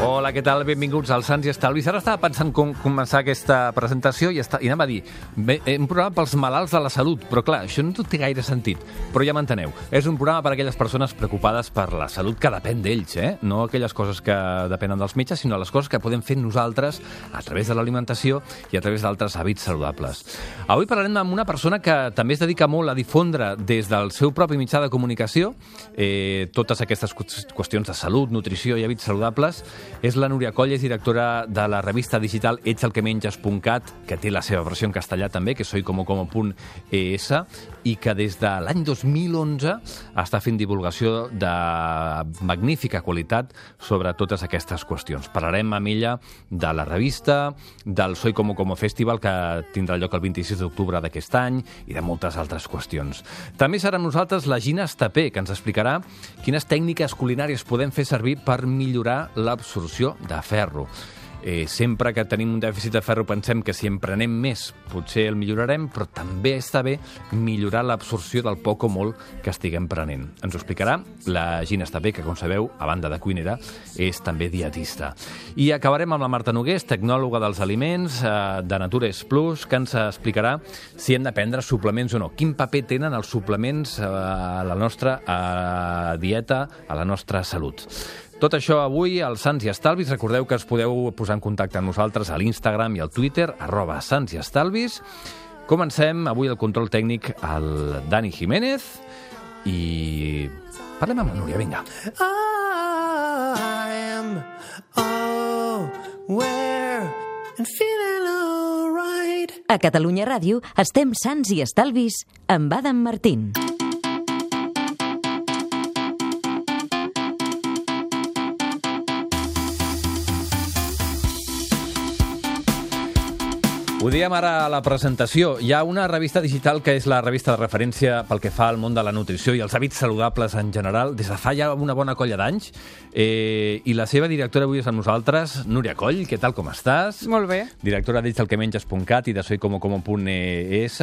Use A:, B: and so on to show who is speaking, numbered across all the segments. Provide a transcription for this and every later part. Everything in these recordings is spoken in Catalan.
A: Hola, què tal? Benvinguts al Sants i Estalvis. Ara estava pensant com començar aquesta presentació i anava a dir un programa pels malalts de la salut, però clar, això no té gaire sentit, però ja m'enteneu. És un programa per a aquelles persones preocupades per la salut que depèn d'ells, no aquelles coses que depenen dels metges, sinó les coses que podem fer nosaltres a través de l'alimentació i a través d'altres hàbits saludables. Avui parlarem amb una persona que també es dedica molt a difondre des del seu propi mitjà de comunicació totes aquestes qüestions de salut, nutrició i hàbits saludables. És la Núria Coll, és directora de la revista digital etsalquemenges.cat, que té la seva versió en castellà també, que és soycomocomo.es, i que des de l'any 2011 està fent divulgació de magnífica qualitat sobre totes aquestes qüestions. Parlarem amb ella de la revista, del Soy Como Como Festival, que tindrà lloc el 26 d'octubre d'aquest any, i de moltes altres qüestions. També serà amb nosaltres la Gina Estapé, que ens explicarà quines tècniques culinàries podem fer servir per millorar l'absorció de ferro. Sempre que tenim un dèficit de ferro pensem que si en prenem més potser el millorarem, però també està bé millorar l'absorció del poc o molt que estiguem prenent. Ens ho explicarà la Gina Estapé, que com sabeu, a banda de cuinera, és també dietista. I acabarem amb la Marta Nogués, tecnòloga dels aliments de Natures Plus, que ens explicarà si hem de prendre suplements o no. Quin paper tenen els suplements a la nostra dieta, a la nostra salut. Tot això avui al Sants i Estalvis. Recordeu que us podeu posar en contacte amb nosaltres a l'Instagram i al Twitter, @santsiestalvis. Comencem avui el control tècnic al Dani Jiménez i parlem amb la Núria, vinga.
B: A Catalunya Ràdio estem Sants i Estalvis amb Adam Martín.
A: Ho diem ara a la presentació. Hi ha una revista digital que és la revista de referència pel que fa al món de la nutrició i els hàbits saludables en general des de fa ja una bona colla d'anys. I la seva directora avui és amb nosaltres, Núria Coll. Què tal, com estàs?
C: Molt bé.
A: Directora d'etsalquemenges.cat i de soycomocomo.es,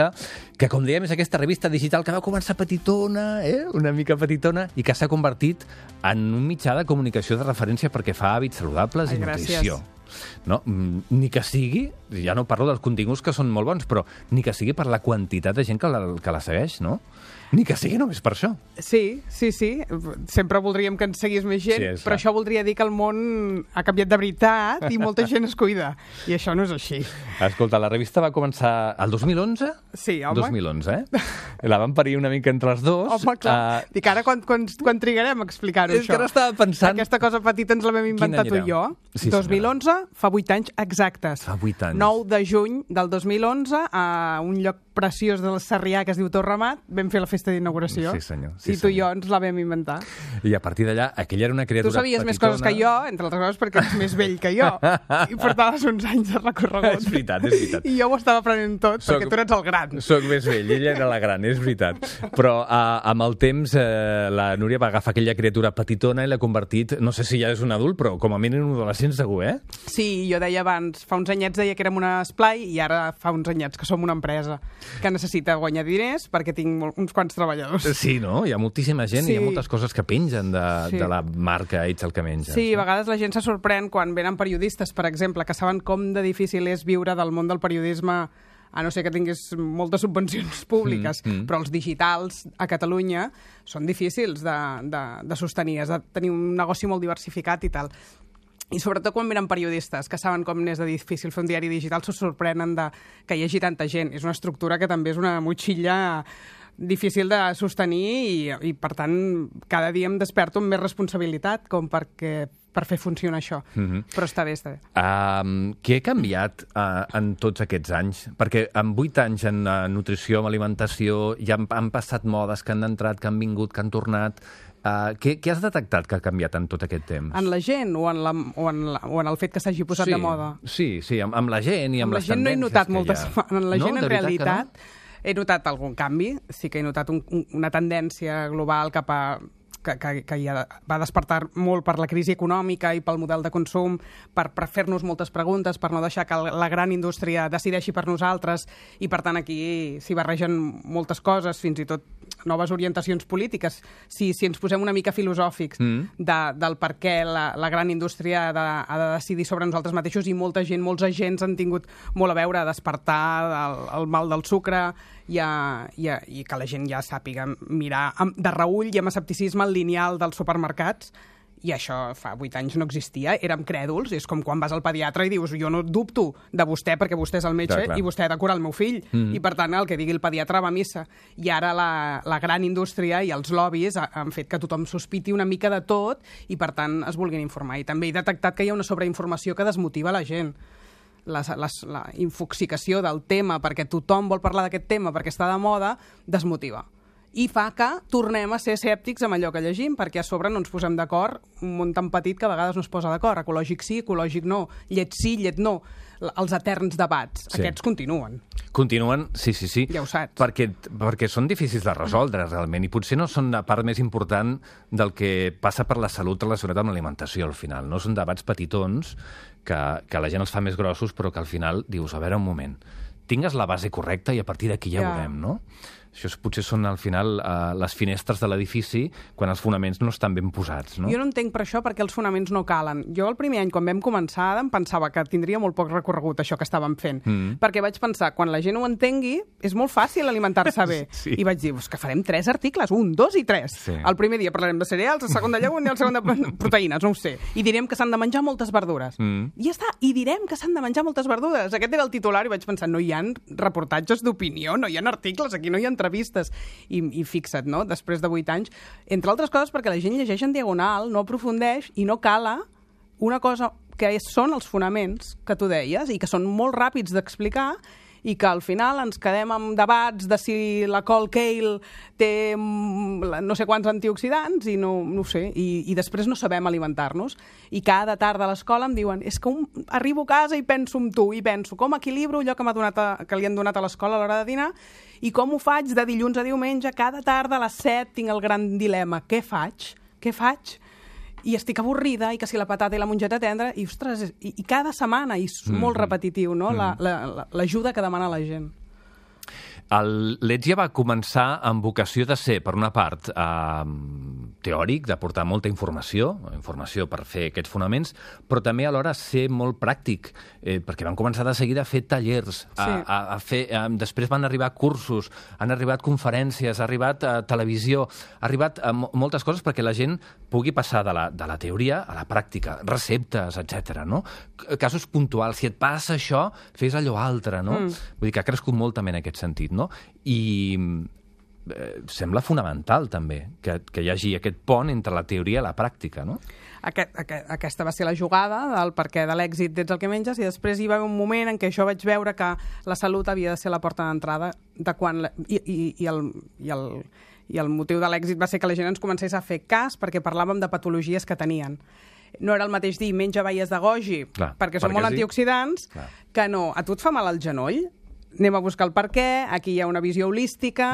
A: que, com dèiem, és aquesta revista digital que va començar petitona, una mica petitona, i que s'ha convertit en un mitjà de comunicació de referència perquè fa hàbits saludables i nutrició. No? Ni que sigui, ja no parlo dels continguts que són molt bons, però ni que sigui per la quantitat de gent que la segueix, no? Ni que sigui només per això.
C: Sí. Sempre voldríem que ens seguís més gent, sí, però això voldria dir que el món ha canviat de veritat i molta gent es cuida. I això no és així.
A: Escolta, la revista va començar el 2011?
C: Sí, home.
A: 2011, La van parir una mica entre els dos.
C: Home, clar. Dic, ara quan trigarem a explicar-ho,
A: això? És que ara estava pensant...
C: Aquesta cosa petita ens la vam inventar tu i jo. Sí, 2011, fa 8 anys exactes.
A: Fa 8 anys.
C: 9 de juny del 2011, a un lloc preciós del Sarrià que es diu Torremat, vam fer la festa d'inauguració.
A: Sí, senyor.
C: I tu i jo ens la vam inventar.
A: I a partir d'allà, aquella era una criatura petitona.
C: Tu sabies més coses que jo, entre altres coses perquè ets més vell que jo. I portaves uns anys de recorregut.
A: És veritat.
C: I jo ho estava aprenent tot, perquè tu eres el gran.
A: Soc més vell, ella era la gran, és veritat. Però amb el temps la Núria va agafar aquella criatura petitona i l'ha convertit, no sé si ja és un adult, però com a mínim un adolescent segur,
C: Sí, jo deia abans, fa uns anyets deia que érem un esplai i ara fa uns anyets que som una empresa que necessita guanyar diners perquè tinc uns quants treballadors.
A: Sí, no? Hi ha moltíssima gent i hi ha moltes coses que pengen de la marca Etsalquemenges.
C: Sí, a vegades la gent se sorprèn quan venen periodistes, per exemple, que saben com de difícil és viure del món del periodisme, a no ser que tinguis moltes subvencions públiques, però els digitals a Catalunya són difícils de sostenir, has de tenir un negoci molt diversificat i tal. I sobretot quan venen periodistes que saben com n'és de difícil fer un diari digital, se sorprenen que hi hagi tanta gent. És una estructura que també és una motxilla difícil de sostenir i per tant, cada dia em desperto amb més responsabilitat com per fer funcionar això. Però està bé.
A: Què ha canviat en tots aquests anys? Perquè en 8 anys en nutrició, en alimentació, ja han passat modes que han entrat, que han vingut, que han tornat. Què has detectat que ha canviat en tot aquest temps?
C: En la gent o en el fet que s'hagi posat de moda?
A: Sí, amb la gent i amb les tendències.
C: No he notat moltes... En la gent, en realitat, he notat algun canvi. Sí que he notat una tendència global cap a que ja va despertar molt per la crisi econòmica i pel model de consum, per fer-nos moltes preguntes, per no deixar que la gran indústria decideixi per nosaltres, i per tant aquí s'hi barregen moltes coses, fins i tot noves orientacions polítiques. Si ens posem una mica filosòfics del per què la gran indústria ha de decidir sobre nosaltres mateixos, i molta gent, molts agents han tingut molt a veure a despertar el mal del sucre i que la gent ja sàpiga mirar de reüll i amb escepticisme el lineal dels supermercats. I això fa 8 anys no existia, érem crèduls, és com quan vas al pediatre i dius jo no dubto de vostè perquè vostè és el metge i vostè ha de curar el meu fill, i per tant el que digui el pediatre va a missa. I ara la gran indústria i els lobbies han fet que tothom sospiti una mica de tot i per tant es vulguin informar. I també he detectat que hi ha una sobreinformació que desmotiva la gent. La infoxicació del tema perquè tothom vol parlar d'aquest tema perquè està de moda, desmotiva. I fa que tornem a ser escèptics amb allò que llegim, perquè a sobre no ens posem d'acord, un món tan petit que a vegades no es posa d'acord. Ecològic sí, ecològic no, llet sí, llet no. Els eterns debats, aquests continuen.
A: Continuen, sí.
C: Ja ho saps.
A: Perquè són difícils de resoldre, realment, i potser no són la part més important del que passa per la salut relacionat amb l'alimentació, al final. No són debats petitons que la gent els fa més grossos, però que al final dius, a veure, un moment, tingues la base correcta i a partir d'aquí ja veurem, no? Això potser són, al final, les finestres de l'edifici quan els fonaments no estan ben posats, no?
C: Jo no entenc per això perquè els fonaments no calen. Jo el primer any, quan vam començar, em pensava que tindria molt poc recorregut això que estàvem fent. Perquè vaig pensar, quan la gent ho entengui, és molt fàcil alimentar-se bé.
A: Sí.
C: I vaig dir, que farem 3 articles, 1, 2 i 3. Sí. El primer dia parlarem de cereals, el segon de llegums i el segon de proteïnes, no ho sé. I direm que s'han de menjar moltes verdures. I ja està, i direm que s'han de menjar moltes verdures. Aquest era el titular i vaig pensar, no hi ha reportatges d'opinió, no hi ha articles, aquí no hi ha entrevistes. I fixa't, no? Després de 8 anys, entre altres coses perquè la gent llegeix en diagonal, no aprofundeix i no cala una cosa que són els fonaments que tu deies i que són molt ràpids d'explicar i que al final ens quedem amb debats de si la col kale té no sé quants antioxidants i no ho sé, i després no sabem alimentar-nos. I cada tarda a l'escola em diuen és que arribo a casa i penso en tu, i penso com equilibro allò que li han donat a l'escola a l'hora de dinar i com ho faig de dilluns a diumenge, cada tarda a les 7 tinc el gran dilema, què faig? I estic avorrida, i que si la patata i la mongeta tendra, i ostres, i cada setmana, i és molt repetitiu, no?, l'ajuda que demana la gent.
A: El Letge va començar amb vocació de ser, per una part, teòric, d'aportar molta informació per fer aquests fonaments, però també alhora ser molt pràctic, perquè van començar de seguida a fer tallers, després van arribar cursos, han arribat conferències, ha arribat televisió, ha arribat moltes coses perquè la gent pugui passar de la teoria a la pràctica, receptes, etc. No? Casos puntuals, si et passa això, fes allò altre, no? Vull dir que ha crescut molt també en aquest sentit, no? I sembla fonamental també que hi hagi aquest pont entre la teoria i la pràctica, no?
C: Aquesta va ser la jugada del perquè de l'èxit d'Ets el que menges, i després hi va haver un moment en què jo vaig veure que la salut havia de ser la porta d'entrada de quan i el motiu de l'èxit va ser que la gent ens comencés a fer cas perquè parlàvem de patologies que tenien. No era el mateix dir menja baies de goji perquè són molt antioxidants que no, a tu et fa mal el genoll? Anem a buscar el per què, aquí hi ha una visió holística,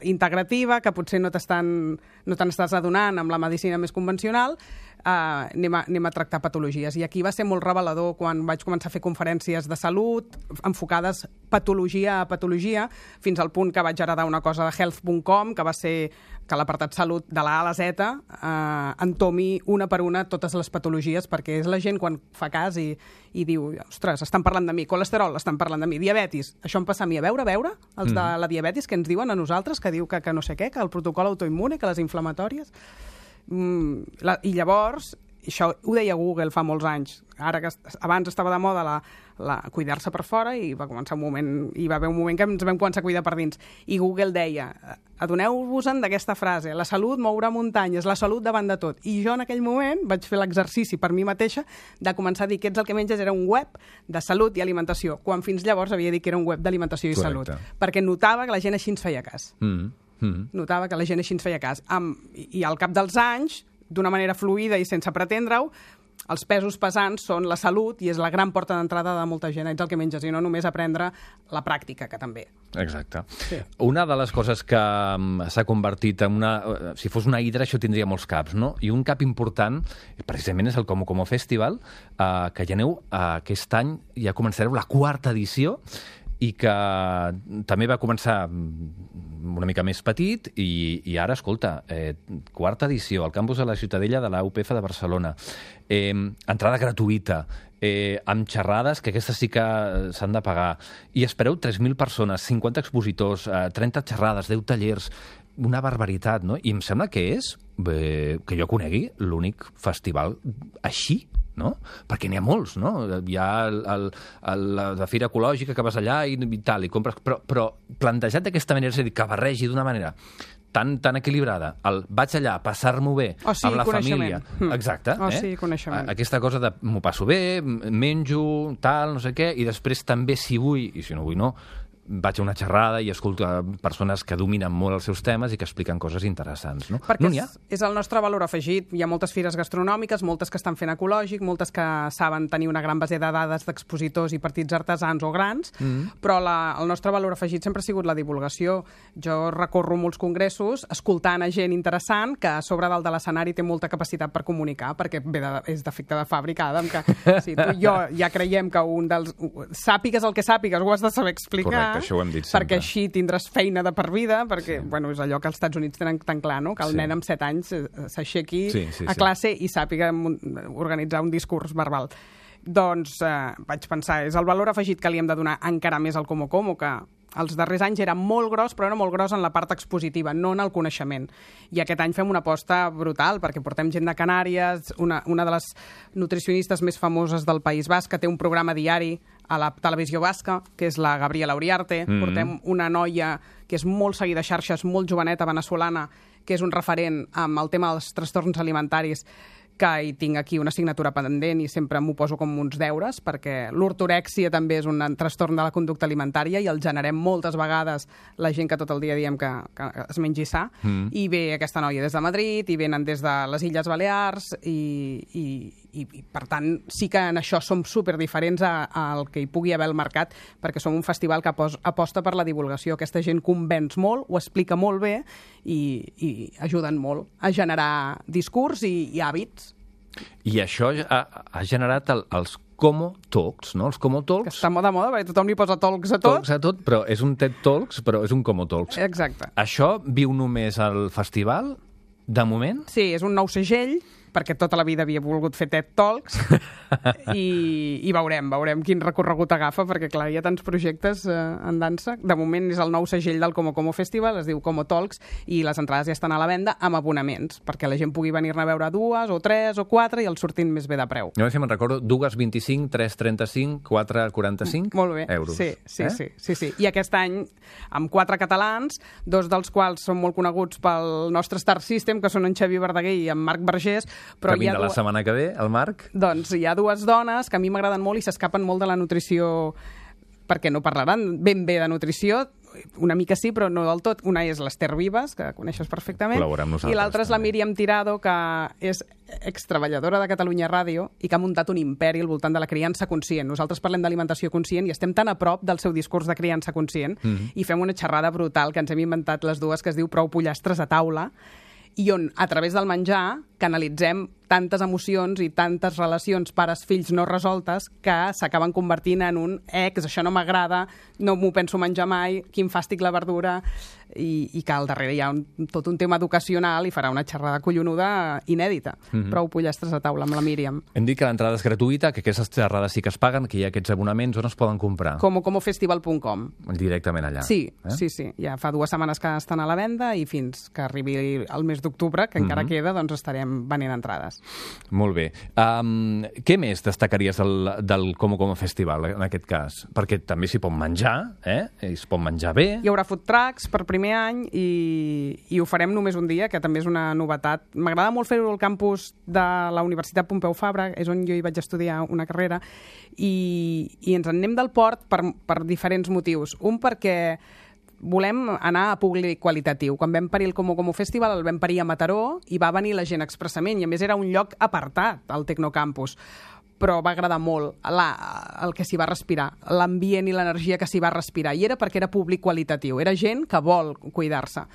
C: integrativa, que potser no te n'estàs adonant amb la medicina més convencional, anem a tractar patologies. I aquí va ser molt revelador quan vaig començar a fer conferències de salut, enfocades patologia a patologia, fins al punt que vaig heredar una cosa de health.com, que va ser que l'apartat salut de la A a la Z entomi una per una totes les patologies, perquè és la gent quan fa cas i diu, ostres, estan parlant de mi, colesterol, estan parlant de mi, diabetis, això em passa a mi, a veure, els de la diabetis que ens diuen a nosaltres, que diu que no sé què, que el protocol autoimmune, que les inflamatòries. I llavors, això ho deia Google fa molts anys, abans estava de moda cuidar-se per fora i va començar un moment, i va haver un moment que ens vam començar a cuidar per dins, i Google deia, adoneu-vos-en d'aquesta frase, la salut mourà muntanyes, la salut davant de tot. I jo en aquell moment vaig fer l'exercici per mi mateixa de començar a dir que Ets el que menges era un web de salut i alimentació, quan fins llavors havia dit que era un web d'alimentació i salut, perquè notava que la gent així ens feia cas. Notava que la gent així ens feia cas. I al cap dels anys, d'una manera fluida i sense pretendre-ho, els pesos pesants són la salut i és la gran porta d'entrada de molta gent. Ets el que menges, i no només aprendre la pràctica, que també.
A: Exacte. Sí. Una de les coses que s'ha convertit en una... Si fos una hidra, això tindria molts caps, no? I un cap important, precisament, és el Como Festival, que ja aneu aquest any, ja començareu la 4ª edició, i que també va començar una mica més petit i ara, escolta, quarta edició al campus de la Ciutadella de la UPF de Barcelona. Entrada gratuïta, amb xerrades, que aquestes sí que s'han de pagar. I espereu 3.000 persones, 50 expositors, 30 xerrades, 10 tallers, una barbaritat, no? I em sembla que és, que jo conegui, l'únic festival així, no? Perquè n'hi ha molts, no? Hi ha la Fira Ecològica que vas allà i tal, i compres... Però plantejat d'aquesta manera, és a dir, que barregi d'una manera tan equilibrada, vaig allà a passar-m'ho bé amb la família. Exacte.
C: Sí, coneixement.
A: Aquesta cosa de m'ho passo bé, menjo, tal, no sé què, i després també, si vull, i si no vull no, vaig a una xerrada i escolto persones que dominen molt els seus temes i que expliquen coses interessants, no?
C: Perquè és el nostre valor afegit. Hi ha moltes fires gastronòmiques, moltes que estan fent ecològic, moltes que saben tenir una gran base de dades d'expositors i partits artesans o grans, però el nostre valor afegit sempre ha sigut la divulgació. Jo recorro molts congressos escoltant a gent interessant que a sobre dalt de l'escenari té molta capacitat per comunicar, perquè és d'efecte de fàbrica, Adam, que si tu i jo ja creiem que un dels... Sàpigues el que sàpigues, ho has de saber explicar.
A: Correcte. Això ho hem dit sempre.
C: Perquè així tindràs feina de per vida, perquè és allò que als Estats Units tenen tan clar, no? Que el nen amb 7 anys s'aixequi a classe i sàpiga organitzar un discurs verbal. Doncs vaig pensar, és el valor afegit que li hem de donar encara més al Como Como, que els darrers anys era molt gros, però era molt gros en la part expositiva, no en el coneixement. I aquest any fem una aposta brutal, perquè portem gent de Canàries, una de les nutricionistes més famoses del País Basc, que té un programa diari a la televisió basca, que és la Gabriela Uriarte. Portem una noia que és molt seguida a xarxes, molt joveneta, venezolana, que és un referent amb el tema dels trastorns alimentaris, que hi tinc aquí una assignatura pendent i sempre m'ho poso com uns deures, perquè l'ortorèxia també és un trastorn de la conducta alimentària i el generem moltes vegades la gent que tot el dia diem que es mengi sa. I ve aquesta noia des de Madrid, i venen des de les Illes Balears, i per tant sí que en això som superdiferents al que hi pugui haver al mercat, perquè som un festival que aposta per la divulgació. Aquesta gent convenç molt, ho explica molt bé i ajuden molt a generar discurs i hàbits.
A: I això ha generat els Como Talks, no? Els Como Talks...
C: Que està de moda, perquè tothom li posa talks a tot.
A: Talks a tot, però és un TED Talks, però és un Como Talks.
C: Exacte.
A: Això viu només al festival, de moment?
C: Sí, és un nou segell, perquè tota la vida havia volgut fer TED Talks, i veurem quin recorregut agafa, perquè clar, hi ha tants projectes en dansa. De moment és el nou segell del Como Como Festival, es diu Como Talks, i les entrades ja estan a la venda amb abonaments, perquè la gent pugui venir-ne a veure 2, o 3, o 4, i els sortin més bé de preu.
A: Jo me'n recordo, 2,25, 3,35, 4,45
C: Molt bé.
A: Euros.
C: Sí. I aquest any, amb 4 catalans, 2 dels quals són molt coneguts pel nostre Star System, que són en Xavi Verdaguer i en Marc Vergés, però
A: que vindrà la setmana que ve, el Marc.
C: Doncs hi ha 2 dones que a mi m'agraden molt i s'escapen molt de la nutrició, perquè no parlaran ben bé de nutrició, una mica sí, però no del tot. Una és l'Ester Vives, que coneixes perfectament, i l'altra és la Míriam Tirado, que és extreballadora de Catalunya Ràdio i que ha muntat un imperi al voltant de la criança conscient. Nosaltres parlem d'alimentació conscient i estem tan a prop del seu discurs de criança conscient i fem una xerrada brutal que ens hem inventat les dues, que es diu Prou pollastres a taula, i on, a través del menjar, canalitzem tantes emocions i tantes relacions pares-fills no resoltes que s'acaben convertint en un això no m'agrada, no m'ho penso menjar mai, quin fàstic la verdura, i que al darrere hi ha tot un tema educacional i farà una xerrada collonuda inèdita. Prou pollastres a taula amb la Míriam.
A: Hem dit que l'entrada és gratuïta, que aquestes xerrades sí que es paguen, que hi ha aquests abonaments, on es poden comprar?
C: Comofestival.com.
A: Directament allà.
C: Sí. Ja fa 2 setmanes que estan a la venda i fins que arribi el mes d'octubre, que encara queda, doncs estarem venent entrades.
A: Molt bé. Què més destacaries del Como Como Festival, en aquest cas? Perquè també s'hi pot menjar, es pot menjar bé.
C: Hi haurà food trucks per primer any i ho farem només un dia, que també és una novetat. M'agrada molt fer-ho al campus de la Universitat Pompeu Fabra, és on jo hi vaig estudiar una carrera, i ens en anem del port per diferents motius. Un, perquè volem anar a públic qualitatiu. Quan vam parir el Como Como Festival, el vam parir a Mataró i va venir la gent expressament, i a més era un lloc apartat, al Tecnocampus. Però va agradar molt el que s'hi va respirar, l'ambient i l'energia que s'hi va respirar, i era perquè era públic qualitatiu, era gent que vol cuidar-se.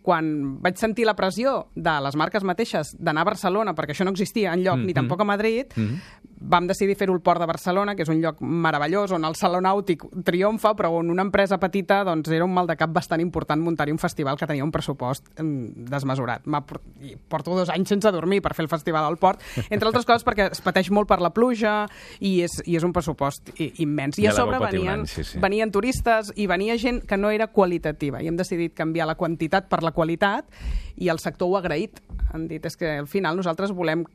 C: Quan vaig sentir la pressió de les marques mateixes d'anar a Barcelona, perquè això no existia enlloc, ni tampoc a Madrid, vam decidir fer-ho al Port de Barcelona, que és un lloc meravellós, on el Saló Nàutic triomfa, però on una empresa petita doncs, era un mal de cap bastant important muntar-hi un festival que tenia un pressupost desmesurat. Porto 2 anys sense dormir per fer el festival al Port, entre altres coses perquè es pateix molt per la pluja i és un pressupost immens. I a sobre venien turistes i venia gent que no era qualitativa, i hem decidit canviar la quantitat per la qualitat, i el sector ho ha agraït. Han dit, és que al final nosaltres volem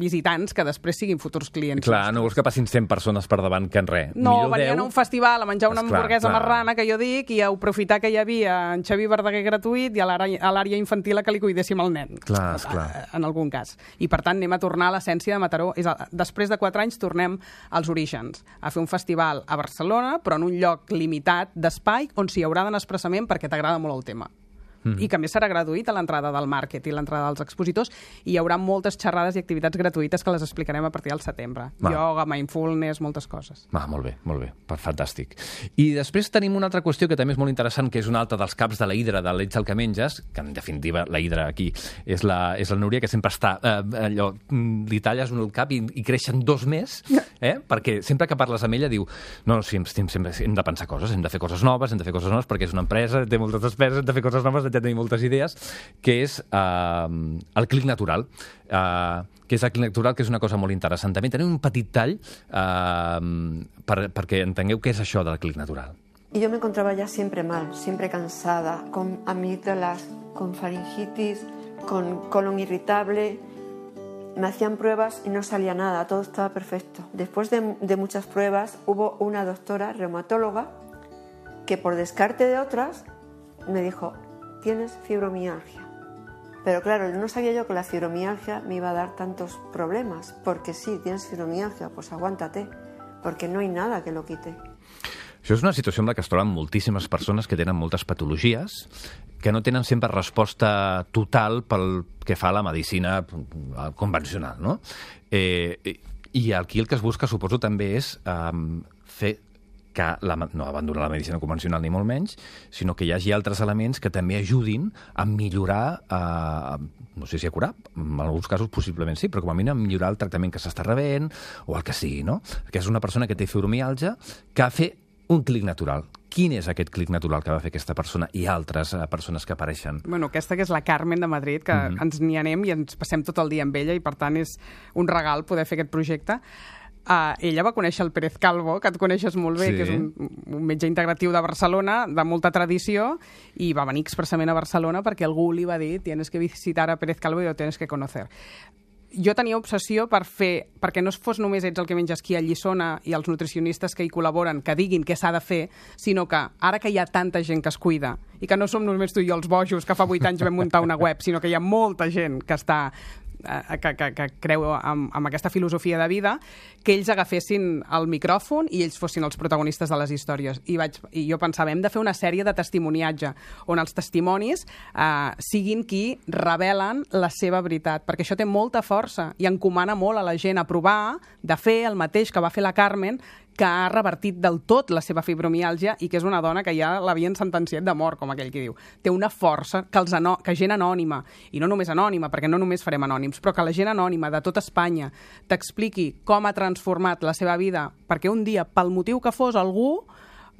C: visitants que després siguin futurs clients.
A: Clar, no vols que passin 100 persones per davant que en res.
C: No, venien a un festival a menjar una hamburguesa marrana, que jo dic, i a aprofitar que hi havia en Xavi Verdaguer gratuït i a l'àrea infantil a que li cuidéssim el nen.
A: Clar.
C: En algun cas. I per tant anem a tornar a l'essència de Mataró. Després de 4 anys tornem als orígens, a fer un festival a Barcelona, però en un lloc limitat d'espai on s'hi haurà d'anar expressament perquè t'agrada molt el tema. I que a més serà gratuït a l'entrada del màrquet i l'entrada dels expositors, i hi haurà moltes xerrades i activitats gratuïtes que les explicarem a partir del setembre. Yoga, mindfulness, moltes coses.
A: Molt bé, fantàstic. I després tenim una altra qüestió que també és molt interessant, que és una altra dels caps de la Hidra, de l'Ets el que menges, que en definitiva la Hidra aquí és la Núria, que sempre està allò, li talles un el cap i creixen 2 més, perquè sempre que parles amb ella diu sempre hem de pensar coses, hem de fer coses noves, perquè és una empresa, té moltes despeses, hem de fer coses noves, ja tenim moltes idees, que és el clic natural. Que és una cosa molt interessant. També tenim un petit tall perquè entengueu què és això del clic natural.
D: Y yo me encontraba ya siempre mal, siempre cansada, con amígdalas, con faringitis, con colon irritable. Me hacían pruebas y no salía nada, todo estaba perfecto. Después de muchas pruebas hubo una doctora reumatóloga que por descarte de otras me dijo: tienes fibromialgia. Pero claro, no sabía yo que la fibromialgia me iba a dar tantos problemas, porque sí, tienes fibromialgia, pues aguántate, porque no hay nada que lo quite.
A: Això és una situació en la que es troben moltíssimes persones que tenen moltes patologies, que no tenen sempre resposta total pel que fa a la medicina convencional, no? I aquí el que es busca, suposo, també és fer que no abandonar la medicina convencional ni molt menys, sinó que hi hagi altres elements que també ajudin a millorar, no sé si a curar, en alguns casos possiblement sí, però com a mínim a millorar el tractament que s'està rebent o el que sigui, no? Que és una persona que té fibromialgia que ha fet un clic natural. Quin és aquest clic natural que va fer aquesta persona i altres persones que apareixen?
C: Bueno, aquesta que és la Carmen de Madrid, que ens n'hi anem i ens passem tot el dia amb ella, i per tant és un regal poder fer aquest projecte. Ella va conèixer el Pérez Calvo, que et coneixes molt bé, que és un metge integratiu de Barcelona, de molta tradició, i va venir expressament a Barcelona perquè algú li va dir: tienes que visitar a Pérez Calvo y lo tienes que conocer. Jo tenia obsessió perquè no fos només Ets el que menges qui a Lliçona i els nutricionistes que hi col·laboren que diguin què s'ha de fer, sinó que ara que hi ha tanta gent que es cuida i que no som només tu i jo els bojos que fa 8 anys vam muntar una web, sinó que hi ha molta gent que està que creu en aquesta filosofia de vida, que ells agafessin el micròfon i ells fossin els protagonistes de les històries. I jo pensava, hem de fer una sèrie de testimoniatge on els testimonis siguin qui revelen la seva veritat, perquè això té molta força i encomana molt a la gent a provar de fer el mateix que va fer la Carmen, que ha revertit del tot la seva fibromiàlgia i que és una dona que ja l'havien sentenciat de mort, com aquell que diu. Té una força que gent anònima, i no només anònima, perquè no només farem anònims, però que la gent anònima de tota Espanya t'expliqui com ha transformat la seva vida, perquè un dia, pel motiu que fos, algú,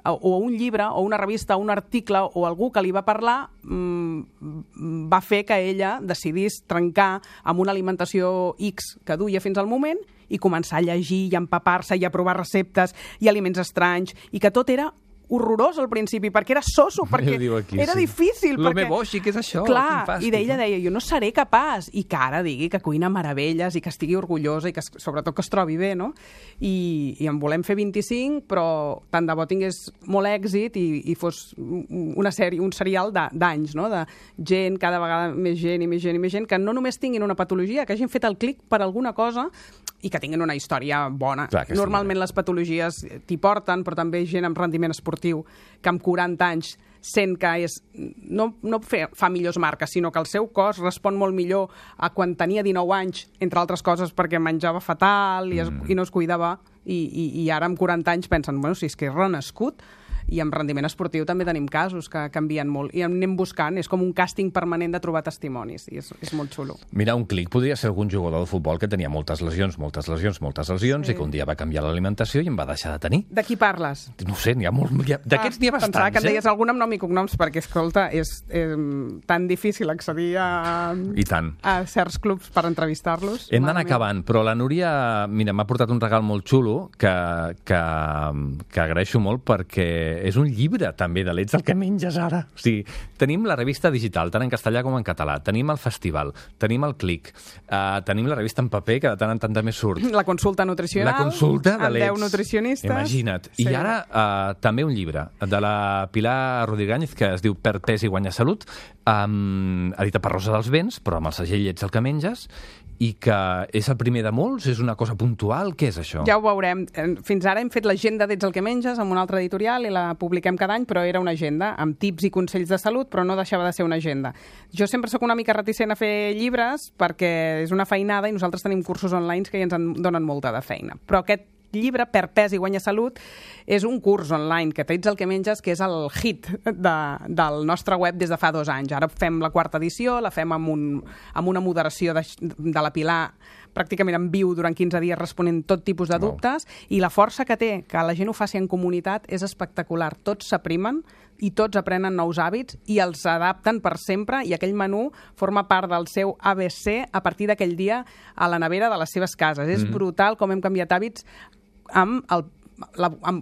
C: o un llibre, o una revista, o un article, o algú que li va parlar, va fer que ella decidís trencar amb una alimentació X que duia fins al moment i començar a llegir i a empapar-se i a provar receptes i aliments estranys, i que tot era horrorós al principi, perquè era soso, perquè era difícil.
A: Lo meu boixi, què és això?
C: Clar, i ella deia, jo no seré capaç, i que ara digui que cuina meravelles i que estigui orgullosa i que sobretot que es trobi bé, no? I en volem fer 25, però tant de bo tingués molt èxit i fos una sèrie, un serial d'anys, no? De gent, cada vegada més gent i més gent i més gent, que no només tinguin una patologia, que hagin fet el clic per alguna cosa i que tinguin una història bona. Normalment les patologies t'hi porten, però també gent amb rendiment esportiu que amb 40 anys sent que no fa millors marques, sinó que el seu cos respon molt millor a quan tenia 19 anys, entre altres coses perquè menjava fatal i no es cuidava, i ara amb 40 anys pensen, bueno, si és que he renascut, I amb rendiment esportiu també tenim casos que canvien molt. I anem buscant, és com un càsting permanent de trobar testimonis, i és molt xulo.
A: Mira, un clic podria ser algun jugador de futbol que tenia moltes lesions, sí. I que un dia va canviar l'alimentació i en va deixar de tenir.
C: De qui parles?
A: No ho sé, d'aquests n'hi ha bastants.
C: Pensava que en deies algun amb nom i cognoms, perquè, escolta, és tan difícil accedir a certs clubs per entrevistar-los.
A: Hem d'anar acabant, però la Núria, mira, m'ha portat un regal molt xulo que agraeixo molt perquè és un llibre també de l'Ets el que menges ara. O sigui, tenim la revista digital, tant en castellà com en català, tenim el festival, tenim el Clic, tenim la revista en paper, que de tant en tant també surt.
C: La consulta nutricional.
A: La consulta de l'Ets.
C: Amb 10 nutricionistes.
A: Imagina't. Sí. I ara també un llibre de la Pilar Rodríguez que es diu Per pes i guanyar salut, edita per Rosa dels Vents, però amb el segell Ets el que menges, i que és el primer de molts? És una cosa puntual? Què és això?
C: Ja ho veurem. Fins ara hem fet l'agenda d'Ets el que menges amb una altra editorial i la publiquem cada any, però era una agenda amb tips i consells de salut, però no deixava de ser una agenda. Jo sempre sóc una mica reticent a fer llibres perquè és una feinada i nosaltres tenim cursos online que ja ens en donen molta de feina. Però aquest llibre, Per pes i guanyar salut, és un curs online que Ets el que menges, que és el hit del nostre web des de fa 2 anys. Ara fem la 4ª edició, la fem amb una moderació de la Pilar pràcticament en viu durant 15 dies responent tot tipus de dubtes, i la força que té que la gent ho faci en comunitat és espectacular. Tots s'aprimen i tots aprenen nous hàbits i els adapten per sempre, i aquell menú forma part del seu ABC a partir d'aquell dia a la nevera de les seves cases. És brutal com hem canviat hàbits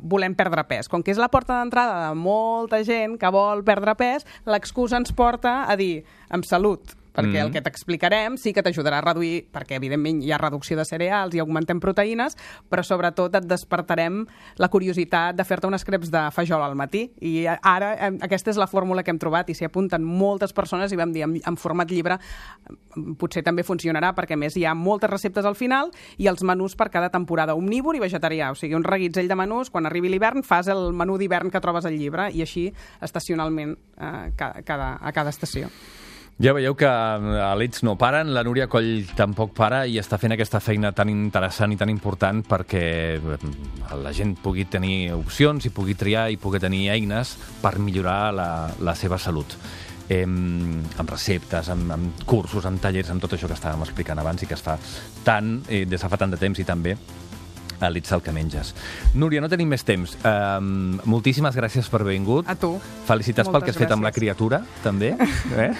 C: volem perdre pes. Com que és la porta d'entrada de molta gent que vol perdre pes, l'excusa ens porta a dir amb salut, perquè el que t'explicarem sí que t'ajudarà a reduir, perquè evidentment hi ha reducció de cereals i augmentem proteïnes, però sobretot et despertarem la curiositat de fer-te unes creps de fajol al matí. I ara aquesta és la fórmula que hem trobat i s'hi apunten moltes persones i vam dir en format llibre potser també funcionarà, perquè a més hi ha moltes receptes al final i els menús per cada temporada, omnívor i vegetarià, o sigui, un reguitzell de menús. Quan arribi l'hivern fas el menú d'hivern que trobes al llibre i així estacionalment a cada estació.
A: Ja veieu que a l'Ets no paren, la Núria Coll tampoc para i està fent aquesta feina tan interessant i tan important perquè la gent pugui tenir opcions i pugui triar i pugui tenir eines per millorar la seva salut. Amb receptes, amb cursos, amb tallers, amb tot això que estàvem explicant abans i que es fa tant, des de fa tant de temps i també a l'Ets el que menges. Núria, no tenim més temps. Moltíssimes gràcies per haver vingut.
C: A tu.
A: Felicitats pel que has fet amb la criatura, també.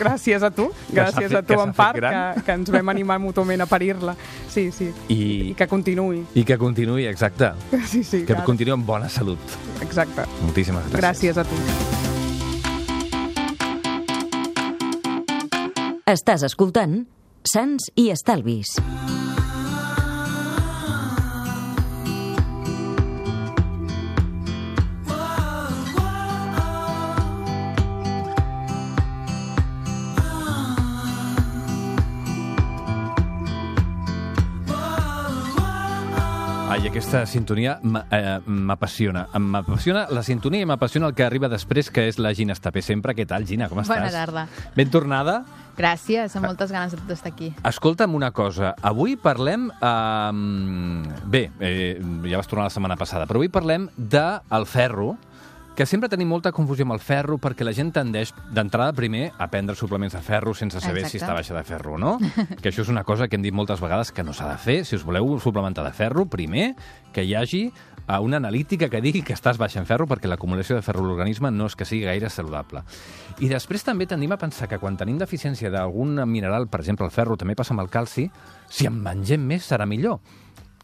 C: Gràcies a tu. Gràcies a tu, en part, que ens vam animar mútuament a parir-la. Sí. I que continuï.
A: I que continuï, exacte.
C: Sí.
A: Que continuï amb bona salut.
C: Exacte.
A: Moltíssimes gràcies.
C: Gràcies a tu.
B: Estàs escoltant Sants i Estalvis.
A: Ai, aquesta sintonia m'apassiona. M'apassiona la sintonia i m'apassiona el que arriba després, que és la Gina Estapé. Sempre. Què tal, Gina? Com estàs?
E: Bona tarda.
A: Ben tornada?
E: Gràcies, amb moltes ganes d'estar aquí.
A: Escolta'm una cosa. Avui parlem... ja vas tornar la setmana passada, però avui parlem del ferro, que sempre tenim molta confusió amb el ferro perquè la gent tendeix d'entrada primer a prendre suplements de ferro sense saber si està baixa de ferro o no, que això és una cosa que hem dit moltes vegades que no s'ha de fer. Si us voleu suplementar de ferro, primer que hi hagi una analítica que digui que estàs baixa en ferro, perquè l'acumulació de ferro a l'organisme no és que sigui gaire saludable. I després també tendim a pensar que quan tenim deficiència d'algun mineral, per exemple el ferro, també passa amb el calci, si en mengem més serà millor.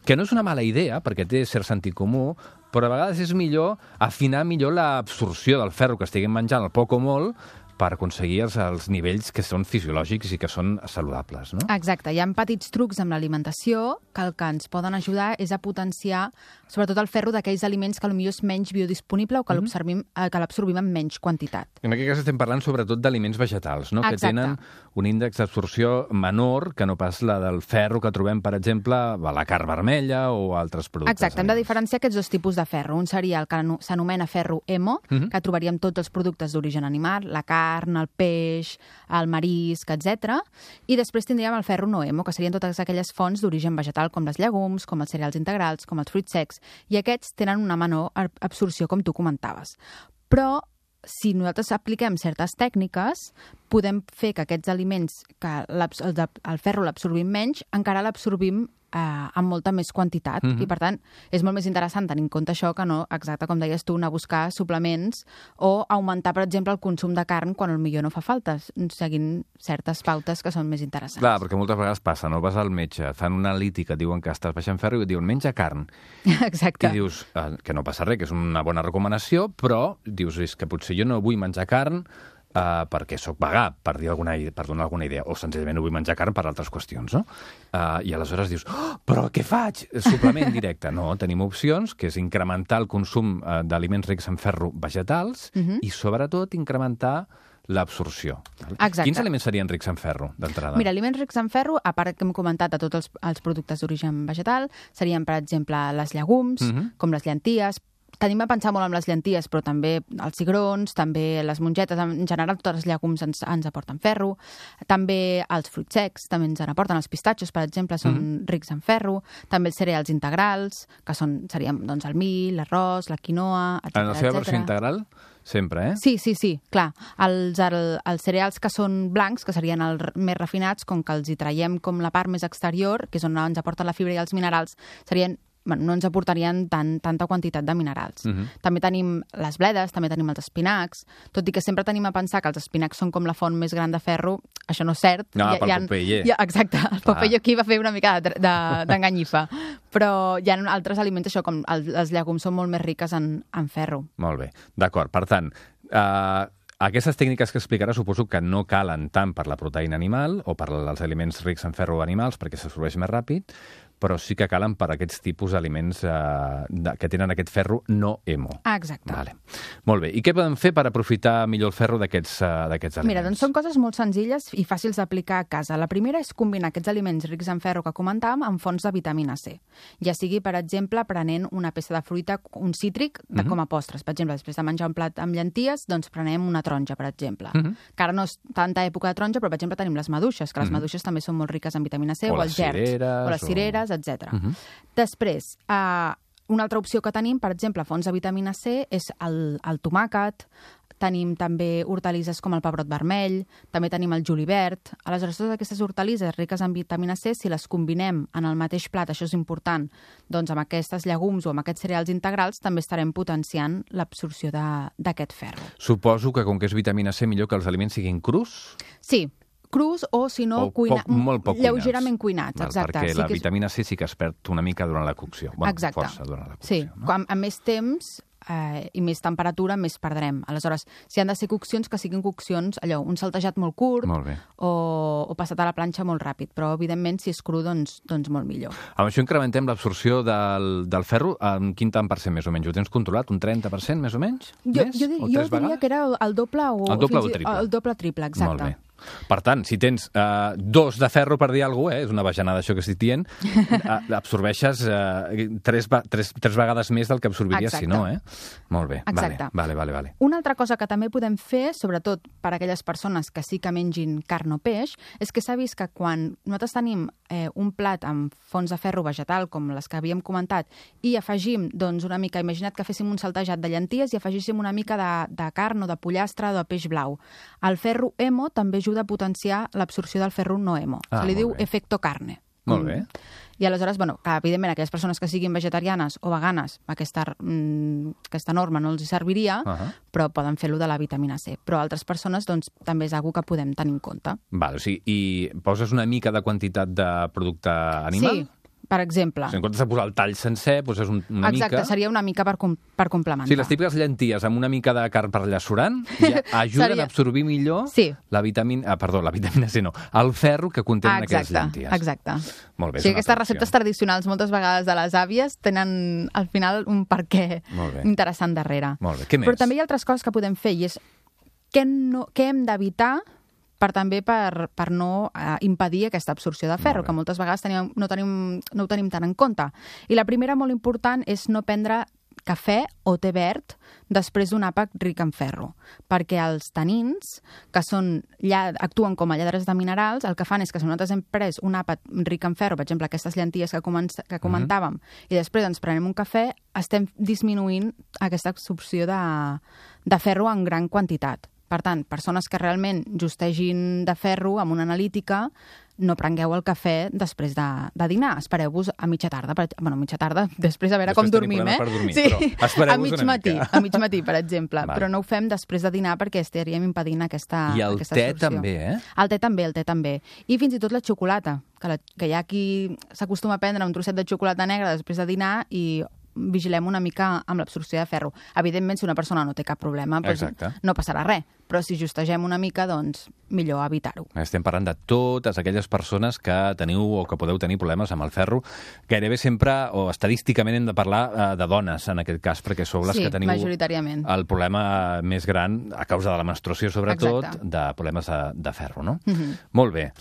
A: Que no és una mala idea, perquè té cert sentit comú, però a vegades és millor afinar millor l'absorció del ferro que estiguem menjant, el poc o molt, per aconseguir els nivells que són fisiològics i que són saludables, no?
E: Exacte. Hi ha petits trucs amb l'alimentació que el que ens poden ajudar és a potenciar sobretot el ferro d'aquells aliments que potser és menys biodisponible o que l'absorbim en menys quantitat.
A: En aquest cas estem parlant sobretot d'aliments vegetals, no?
E: Exacte.
A: Que tenen un índex d'absorció menor que no pas la del ferro que trobem, per exemple, a la carn vermella o altres productes.
E: Exacte. Hem de diferenciar aquests 2 tipus de ferro. Un seria el que s'anomena ferro hemo, que trobaríem tots els productes d'origen animal, la carn, carn, el peix, el marisc, etc. I després tindríem el ferro no hemo, que serien totes aquelles fonts d'origen vegetal, com les llegums, com els cereals integrals, com els fruits secs, i aquests tenen una menor absorció, com tu comentaves. Però si nosaltres apliquem certes tècniques, podem fer que aquests aliments, que el ferro l'absorbim menys, encara l'absorbim amb molta més quantitat. I, per tant, és molt més interessant tenir en compte això que no, exacte, com deies tu, anar a buscar suplements o augmentar, per exemple, el consum de carn quan potser no fa falta, seguint certes pautes que són més interessants.
A: Clar, perquè moltes vegades passa, no? Vas al metge, fan una analítica, diuen que estàs baixant ferro i et diuen menja carn.
E: Exacte.
A: I dius que no passa res, que és una bona recomanació, però dius, és que potser jo no vull menjar carn perquè sóc vegà, per donar alguna idea, o senzillament no vull menjar carn per altres qüestions, no? I aleshores dius, però què faig? Suplement directe. No, tenim opcions, que és incrementar el consum d'aliments rics en ferro vegetals i, sobretot, incrementar l'absorció.
E: Exacte.
A: Quins aliments serien rics en ferro, d'entrada?
E: Mira, aliments rics en ferro, a part que hem comentat de tots els productes d'origen vegetal, serien, per exemple, les llegums, com les llenties. Tenim a pensar molt amb les llenties, però també els cigrons, també les mongetes, en general totes les llegums ens aporten ferro, també els fruits secs també ens aporten, els pistatxos, per exemple, són rics en ferro, també els cereals integrals, que serien el mill, l'arròs, la quinoa, etc.
A: En la seva versió integral? Sempre,
E: Sí, clar. Els cereals que són blancs, que serien els més refinats, com que els hi traiem com la part més exterior, que és on ens aporten la fibra i els minerals, no ens aportarien tanta quantitat de minerals. També tenim les bledes, també tenim els espinacs, tot i que sempre tenim a pensar que els espinacs són com la font més gran de ferro, això no és cert.
A: No, pel Popeye.
E: Exacte, el Popeye aquí va fer una mica d'enganyifa. Però hi ha altres aliments, això, com les llegums són molt més riques en ferro.
A: Molt bé, d'acord. Per tant, aquestes tècniques que explicarà suposo que no calen tant per la proteïna animal o per als aliments rics en ferro animals perquè s'absorbeix més ràpid, però sí que calen per aquests tipus d'aliments que tenen aquest ferro no hemo.
E: Exacte.
A: Vale. Molt bé. I què podem fer per aprofitar millor el ferro d'aquests aliments?
E: Mira, doncs són coses molt senzilles i fàcils d'aplicar a casa. La primera és combinar aquests aliments rics en ferro que comentàvem amb fonts de vitamina C. Ja sigui, per exemple, prenent una peça de fruita, un cítric, com a postres. Per exemple, després de menjar un plat amb llenties, doncs prenem una taronja, per exemple. Que ara no és tanta època de taronja, però, per exemple, tenim les maduixes, que les maduixes també són molt riques en vitamina C, o els gerds, o les cireres, etc. Després, una altra opció que tenim, per exemple, fonts de vitamina C, és el tomàquet, tenim també hortalisses com el pebrot vermell, també tenim el julivert. Aleshores, totes aquestes hortalisses riques en vitamina C, si les combinem en el mateix plat, això és important, doncs amb aquestes llegums o amb aquests cereals integrals també estarem potenciant l'absorció d'aquest ferro.
A: Suposo que, com que és vitamina C, millor que els aliments siguin crus?
E: Sí, crus o, si no,
A: molt poc
E: lleugerament cuinats. Exacte.
A: Perquè la vitamina C sí que es perd una mica durant la cocció.
E: Exacte.
A: Força durant la cocció.
E: Sí, no? Amb més temps i més temperatura, més perdrem. Aleshores, si han de ser coccions, que siguin coccions, allò, un saltejat molt curt o passat a la planxa molt ràpid. Però, evidentment, si és cru, doncs molt millor.
A: Amb això incrementem l'absorció del ferro en quin tant per cent, més o menys? Ho tens controlat? Un 30%, més o menys?
E: Jo diria que era el doble o
A: el triple.
E: El doble triple, exacte.
A: Molt bé. Per tant, si tens 2 de ferro, per dir alguna cosa, és una bajanada això que estic dient, absorbeixes 3 vegades més del que absorbiries si no, Molt bé.
E: Exacte.
A: Vale.
E: Una altra cosa que també podem fer, sobretot per a aquelles persones que sí que mengin carn o peix, és que s'ha vist que quan nosaltres tenim un plat amb fonts de ferro vegetal, com les que havíem comentat, i afegim, doncs, una mica, imagina't que féssim un saltejat de llenties i afegíssim una mica de carn o de pollastre o de peix blau. El ferro hemo també ajuda a potenciar l'absorció del ferro no hemo. Se li diu efecto carne.
A: Molt bé.
E: I aleshores, que evidentment aquelles persones que siguin vegetarianes o veganes, aquesta norma no els serviria, però poden fer-lo de la vitamina C. Però altres persones, doncs, també és una que podem tenir en compte.
A: Val, o sigui, i poses una mica de quantitat de producte animal?
E: Sí. Per exemple.
A: En comptes de posar el tall sencer, poses una mica...
E: Exacte, seria una mica per complementar.
A: Sí, les típiques llenties amb una mica de carn per allà surant ja ajuden a absorbir millor la vitamina... la vitamina C no, el ferro que contenen aquelles llenties.
E: Exacte.
A: Molt bé,
E: sí, aquestes receptes tradicionals, moltes vegades de les àvies, tenen al final un perquè interessant darrere.
A: Molt bé, què més?
E: Però també hi ha altres coses que podem fer, i és què hem d'evitar per no impedir aquesta absorció de ferro, que moltes vegades no ho tenim tant en compte. I la primera, molt important, és no prendre cafè o té verd després d'un àpat ric en ferro, perquè els tanins, que actuen com a lladres de minerals, el que fan és que si nosaltres hem pres un àpat ric en ferro, per exemple, aquestes llenties que comentàvem, i després ens prenem un cafè, estem disminuint aquesta absorció de ferro en gran quantitat. Per tant, persones que realment justegin de ferro amb una analítica, no prengueu el cafè després de dinar. Espereu-vos a mitja tarda. Mitja tarda, després de veure com dormim,
A: dormir, sí. Però a
E: mig matí, per exemple. Vale. Però no ho fem després de dinar perquè estaríem impedint aquesta
A: I el
E: aquesta
A: te
E: absorció.
A: també,
E: El te també. I fins i tot la xocolata, que hi ha qui s'acostuma a prendre un trosset de xocolata negra després de dinar i vigilem una mica amb l'absorció de ferro. Evidentment, si una persona no té cap problema, doncs no passarà res. Però si justegem una mica, doncs millor evitar-ho.
A: Estem parlant de totes aquelles persones que teniu o que podeu tenir problemes amb el ferro. Gairebé sempre, o estadísticament, hem de parlar de dones, en aquest cas, perquè sou les que teniu el problema més gran, a causa de la menstruació, sobretot, de problemes de ferro, no? Molt bé.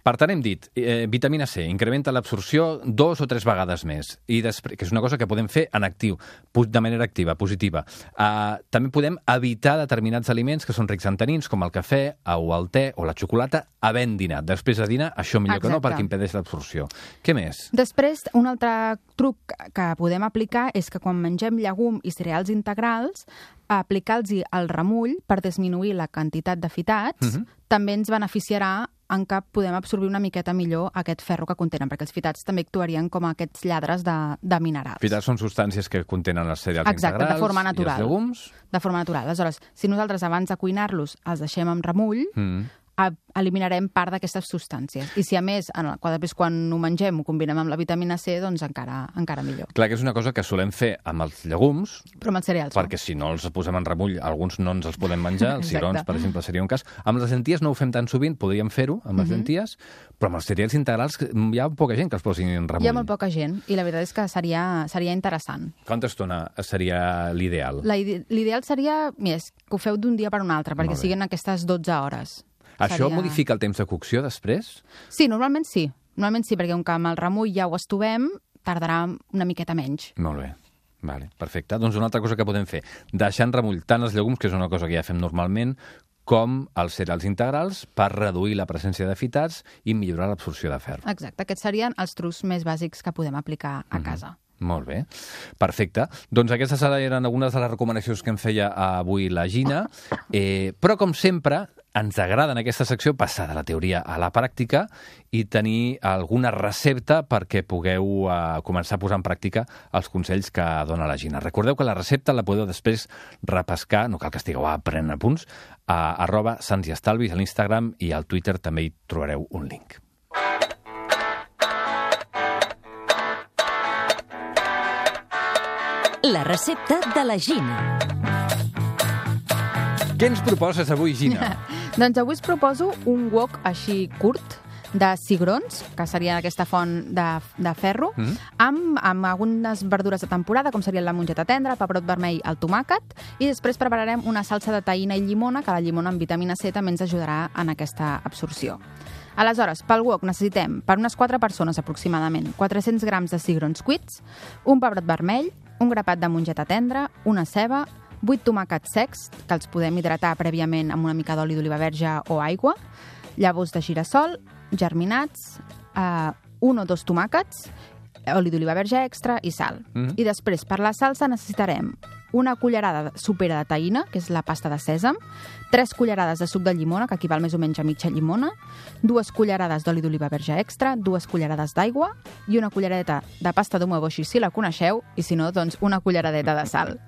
A: Per tant, hem dit, vitamina C incrementa l'absorció 2 o 3 vegades més, i després, que és una cosa que podem fer en actiu, de manera activa, positiva. També podem evitar determinats aliments que són rics en tanins, com el cafè o el te o la xocolata, havent dinat. Després de dinar, això millor que no, perquè impedeix l'absorció. Què més?
E: Després, un altre truc que podem aplicar és que quan mengem llegum i cereals integrals, aplicar-los el remull per disminuir la quantitat de fitats també ens beneficiarà en què podem absorbir una miqueta millor aquest ferro que contenen, perquè els fitats també actuarien com aquests lladres de minerals.
A: Fitats són substàncies que contenen els cereals integrals
E: de forma natural.
A: I els llegums?
E: De forma natural. Aleshores, si nosaltres abans de cuinar-los els deixem amb remull, eliminarem part d'aquestes substàncies. I si a més, després quan ho mengem ho combinem amb la vitamina C, doncs encara millor.
A: Clar que és una cosa que solem fer amb els llegums,
E: però amb els cereals,
A: perquè si no els posem en remull, alguns no ens els podem menjar, els cigrons, per exemple, seria un cas. Amb les lenties no ho fem tan sovint, podríem fer-ho amb les lenties, però amb els cereals integrals hi ha poca gent que els posin en remull.
E: Hi ha molt poca gent, i la veritat és que seria interessant.
A: Quanta estona seria l'ideal?
E: L'ideal seria, que ho feu d'un dia per un altre, perquè siguin aquestes 12 hores.
A: Això modifica el temps de cocció després?
E: Sí, normalment sí. Normalment sí, perquè com el remull ja ho estovem, tardarà una miqueta menys.
A: Molt bé. Vale, perfecte. Doncs una altra cosa que podem fer, deixar en remull tant els llegums, que és una cosa que ja fem normalment, com els cereals integrals per reduir la presència de fitats i millorar l'absorció de ferro.
E: Exacte. Aquests serien els trucs més bàsics que podem aplicar a casa.
A: Molt bé, perfecte. Doncs aquestes eren algunes de les recomanacions que em feia avui la Gina, però com sempre ens agrada en aquesta secció passar de la teoria a la pràctica i tenir alguna recepta perquè pugueu començar a posar en pràctica els consells que dona la Gina. Recordeu que la recepta la podeu després repescar, no cal que estigueu aprenent apunts, a @sansiestalvis a l'Instagram, i al Twitter també hi trobareu un link.
B: La recepta de la Gina.
A: Què ens proposes avui, Gina?
E: Doncs avui us proposo un wok així curt de cigrons, que seria aquesta font de ferro, amb algunes verdures de temporada, com serien la mongeta tendra, el pebrot vermell, el tomàquet, i després prepararem una salsa de tahina i llimona, que la llimona amb vitamina C també ens ajudarà en aquesta absorció. Aleshores, pel wok necessitem, per unes 4 persones aproximadament, 400 grams de cigrons cuits, un pebrot vermell, un grapat de mongeta tendra, una ceba, 8 tomàquets secs, que els podem hidratar prèviament amb una mica d'oli d'oliva verge o aigua, llavors de girassol, germinats, 1 o 2 tomàquets, oli d'oliva verge extra i sal. I després, per la salsa, necessitarem una cullerada sopera de tahina, que és la pasta de sèsam, 3 cullerades de suc de llimona, que equival més o menys a mitja llimona, 2 cullerades d'oli d'oliva verge extra, 2 cullerades d'aigua i una culleradeta de pasta d'umeboshi, si la coneixeu, i si no, doncs una culleradeta de sal.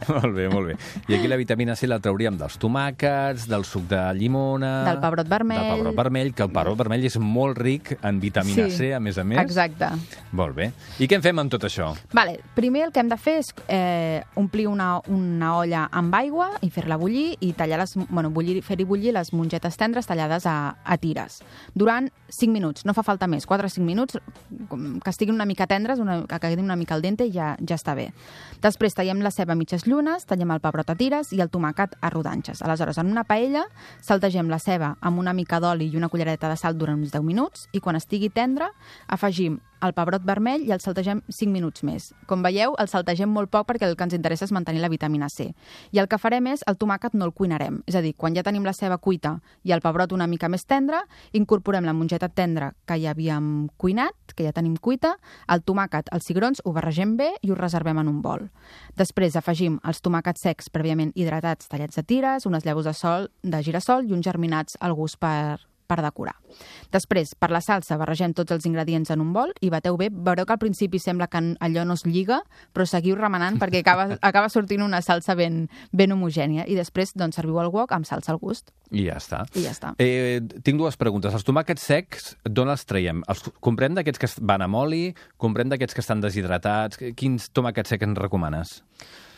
A: Molt bé, molt bé. I aquí la vitamina C la trauríem dels tomàquets, del suc de llimona...
E: Del pebrot vermell.
A: Que el pebrot vermell és molt ric en vitamina C, a més a més.
E: Exacte.
A: Molt bé. I què en fem amb tot això?
E: Primer el que hem de fer és omplir una olla amb aigua i fer-la bullir i tallar fer-hi bullir les mongetes tendres tallades a tires. Durant 5 minuts, no fa falta més, 4 o 5 minuts, que estiguin una mica tendres, que quedin una mica al dente i ja està bé. Després tallem la ceba a mitges llunes, tallem el pebrot a tires i el tomàquet a rodanxes. Aleshores, en una paella, saltegem la ceba amb una mica d'oli i una culleradeta de sal durant uns 10 minuts i quan estigui tendra, afegim el pebrot vermell i el saltegem 5 minuts més. Com veieu, el saltegem molt poc perquè el que ens interessa és mantenir la vitamina C. I el que farem és, el tomàquet no el cuinarem. És a dir, quan ja tenim la ceba cuita i el pebrot una mica més tendre, incorporem la mongeta tendra que ja havíem cuinat, que ja tenim cuita, el tomàquet, els cigrons, ho barregem bé i ho reservem en un bol. Després afegim els tomàquets secs prèviament hidratats tallats a tires, unes llavors de girassol i uns germinats al gust per decorar. Després, per la salsa, barregem tots els ingredients en un bol i bateu bé. Veureu que al principi sembla que allò no es lliga, però seguiu remenant perquè acaba sortint una salsa ben homogènia. I després, doncs, serviu el wok amb salsa al gust.
A: I ja està.
E: Tinc
A: dues preguntes. Els tomàquets secs, d'on els traiem? Els comprem d'aquests que van amb oli? Comprem d'aquests que estan deshidratats? Quins tomàquets secs ens recomanes?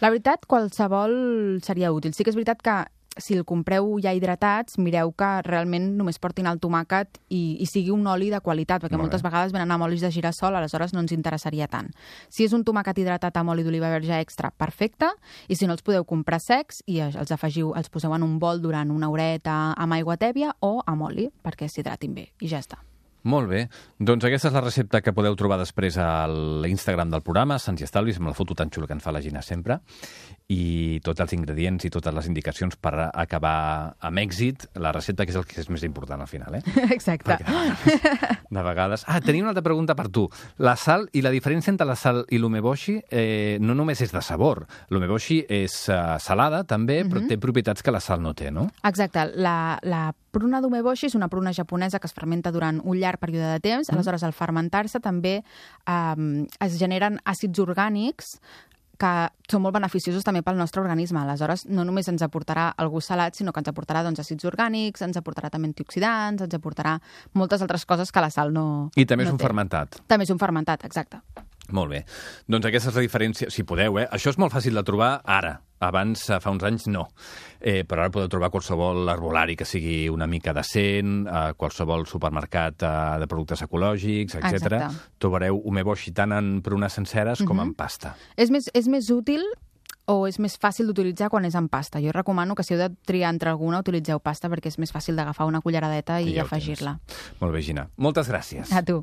E: La veritat, qualsevol seria útil. Sí que és veritat que si el compreu ja hidratats, mireu que realment només portin el tomàquet i sigui un oli de qualitat, perquè moltes vegades venen amb olis de girassol, aleshores no ens interessaria tant. Si és un tomàquet hidratat amb oli d'oliva verge extra, perfecte, i si no els podeu comprar secs i els afegiu, els poseu en un bol durant una horeta amb aigua tèbia o amb oli, perquè s'hidratin bé, i ja està.
A: Molt bé. Doncs aquesta és la recepta que podeu trobar després a l'Instagram del programa, Sants i Estalvis, amb la foto tan xula que ens fa la Gina sempre, i tots els ingredients i totes les indicacions per acabar amb èxit la recepta, que és el que és més important al final, eh?
E: Exacte.
A: Perquè, de vegades... tenia una altra pregunta per tu. La sal i la diferència entre la sal i l'umeboshi no només és de sabor. L'umeboshi és salada, també, però té propietats que la sal no té, no?
E: Exacte. La pruna d'umeboshi és una pruna japonesa que es fermenta durant un llarg període de temps. Aleshores, al fermentar-se també es generen àcids orgànics que són molt beneficiosos també pel nostre organisme. Aleshores, no només ens aportarà el gust salat, sinó que ens aportarà àcids orgànics, ens aportarà també antioxidants, ens aportarà moltes altres coses que la sal no té.
A: I també és un fermentat.
E: També és un fermentat, exacte.
A: Molt bé. Doncs aquesta és la diferència, si podeu, Això és molt fàcil de trobar ara. Abans, fa uns anys, no. Però ara podeu trobar qualsevol herbolari que sigui una mica decent, qualsevol supermercat de productes ecològics, etc. Trobareu umeboshi tant en prunes senceres com en pasta.
E: És més útil o és més fàcil d'utilitzar quan és en pasta. Jo recomano que si heu de triar entre alguna, utilitzeu pasta perquè és més fàcil d'agafar una culleradeta i afegir-la.
A: Molt bé, Gina. Moltes gràcies.
E: A tu.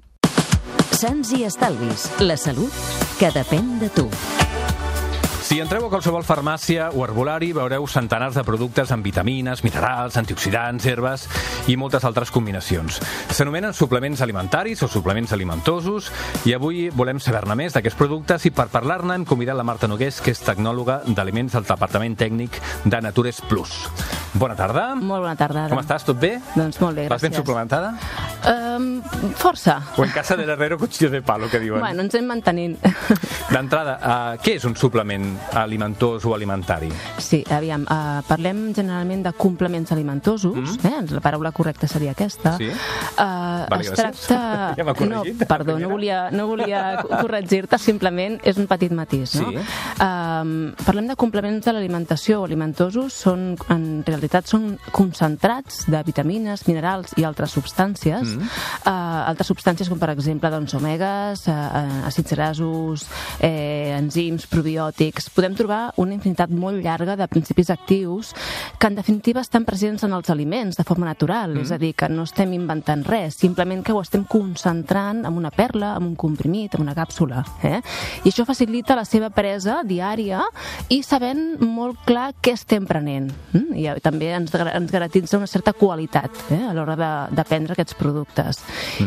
B: Sants i Estalvis. La salut que depèn de tu.
A: Si entreu a qualsevol farmàcia o herbolari, veureu centenars de productes amb vitamines, minerals, antioxidants, herbes i moltes altres combinacions. S'anomenen suplements alimentaris o suplements alimentosos i avui volem saber-ne més d'aquests productes i per parlar-ne hem convidat la Marta Nogués, que és tecnòloga d'aliments del Departament Tècnic de Natures Plus. Bona tarda.
F: Molt bona tarda.
A: Com estàs? Tot bé?
F: Doncs molt bé, gràcies.
A: Vas ben suplementada?
F: Força.
A: O en casa del herrero cuchillo de palo, que diuen.
F: Bueno, ens hem mantenint.
A: D'entrada, què és un suplement alimentós o alimentari?
F: Sí, aviam, parlem generalment de complements alimentosos, la paraula correcta seria aquesta.
A: Sí?
F: Vale, es tracta...
A: Ja m'ha corregit.
F: No, perdó, no volia corregir-te, simplement és un petit matís, no?
A: Sí.
F: Parlem de complements de l'alimentació alimentosos, en realitat són concentrats de vitamines, minerals i altres substàncies, altres substàncies com per exemple doncs, omegues, àcids grasos, enzims, probiòtics. Podem trobar una infinitat molt llarga de principis actius que en definitiva estan presents en els aliments de forma natural, és a dir, que no estem inventant res, simplement que ho estem concentrant en una perla, en un comprimit, en una càpsula. I això facilita la seva presa diària i sabent molt clar què estem prenent. I també ens garantitza una certa qualitat a l'hora de prendre aquests productes.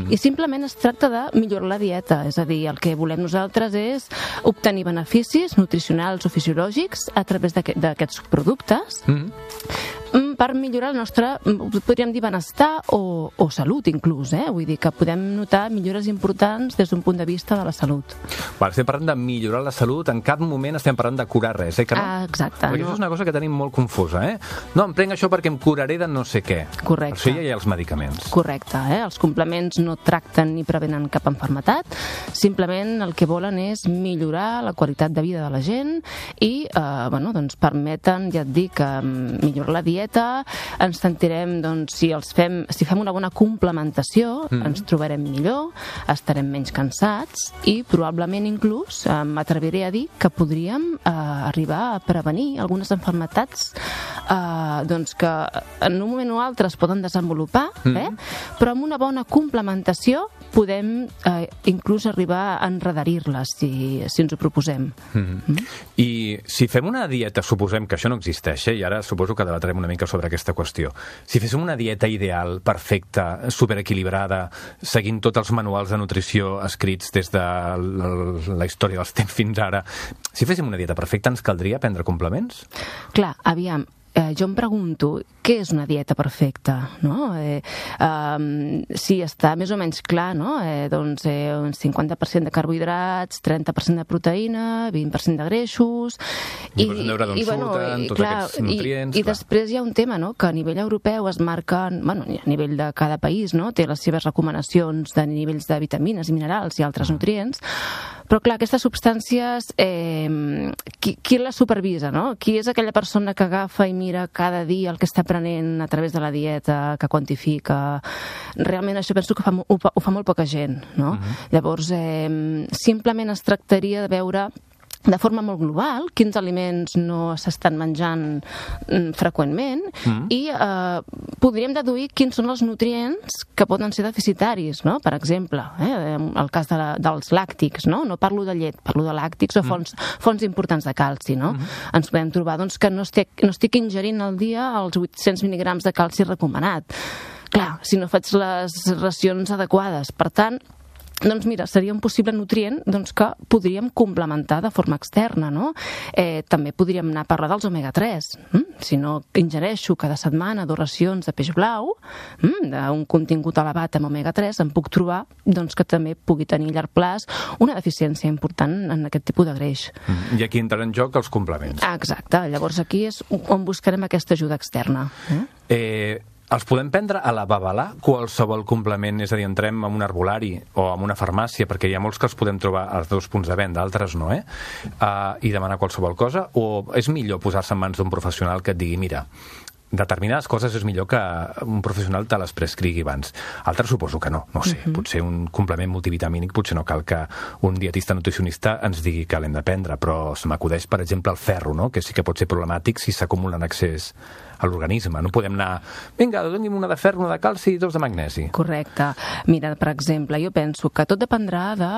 F: I simplement es tracta de millorar la dieta, és a dir, el que volem nosaltres és obtenir beneficis nutricionals o fisiològics a través d'aquests productes per millorar el nostre, podríem dir, benestar o salut inclús, vull dir que podem notar millores importants des d'un punt de vista de la salut.
A: Estem parlant de millorar la salut, en cap moment estem parlant de curar res, que no?
F: Exacte.
A: Perquè això és una cosa que tenim molt confusa, No, em prenc això perquè em curaré de no sé què.
F: Correcte.
A: Per això ja hi ha els medicaments.
F: Correcte, Els complements no tracten ni prevenen cap malaltia, simplement el que volen és millorar la qualitat de vida de la gent i, doncs permeten, ja et dic, millorar la dieta, ens sentirem, doncs, si fem una bona complementació, ens trobarem millor, estarem menys cansats i probablement inclús m'atreviré a dir que podríem arribar a prevenir algunes malalties doncs que en un moment o altre es poden desenvolupar, però amb una bona complementació podem inclús arribar a enredarir-les si ens ho proposem.
A: I si fem una dieta, suposem que això no existeix, i ara suposo que debatrem una mica sobre aquesta qüestió, si féssim una dieta ideal, perfecta, superequilibrada, seguint tots els manuals de nutrició escrits des de la història dels temps fins ara, si féssim una dieta perfecta ens caldria prendre complements?
F: Clar, aviam, jo em pregunto què és una dieta perfecta, no? Si està més o menys clar, no? Doncs un 50% de carbohidrats, 30% de proteïna, 20% de greixos...
A: I veure d'on surten tots aquests nutrients...
F: I després hi ha un tema, no?, que a nivell europeu es marquen, bueno, a nivell de cada país, no?, té les seves recomanacions de nivells de vitamines i minerals i altres nutrients, però clar, aquestes substàncies, qui les supervisa, no? Qui és aquella persona que agafa i mira cada dia el que està prenent a través de la dieta, que quantifica? Realment això penso que ho fa molt poca gent, no? Llavors, simplement es tractaria de veure de forma molt global quins aliments no s'estan menjant freqüentment i podríem deduir quins són els nutrients que poden ser deficitaris, no? Per exemple, el cas dels làctics, no? No parlo de llet, parlo de làctics o fonts importants de calci, no? Ens podem trobar doncs, que no estic ingerint al dia els 800 mil·ligrams de calci recomanat. Clar, si no faig les racions adequades. Per tant, doncs mira, seria un possible nutrient doncs, que podríem complementar de forma externa, no? També podríem anar a parlar dels omega-3. Si no ingereixo cada setmana 2 racions de peix blau, d'un contingut elevat amb omega-3, em puc trobar doncs, que també pugui tenir a llarg plaç una deficiència important en aquest tipus de greix.
A: I aquí entren en joc els complements.
F: Exacte. Llavors aquí és on buscarem aquesta ajuda externa.
A: Els podem prendre a la babalà, qualsevol complement? És a dir, entrem en un herbolari o en una farmàcia, perquè hi ha molts que els podem trobar als 2 punts de venda, altres no, i demanar qualsevol cosa? O és millor posar-se en mans d'un professional que et digui, mira, determinades coses és millor que un professional te les prescrigui abans. Altres suposo que no sé. Potser un complement multivitamínic potser no cal que un dietista nutricionista ens digui que l'hem de prendre, però se m'acudeix, per exemple, el ferro, no? Que sí que pot ser problemàtic si s'acumula en excés a l'organisme. No podem anar, vinga, doni'm una de ferro, una de calci i 2 de magnesi.
F: Correcte. Mira, per exemple, jo penso que tot dependrà de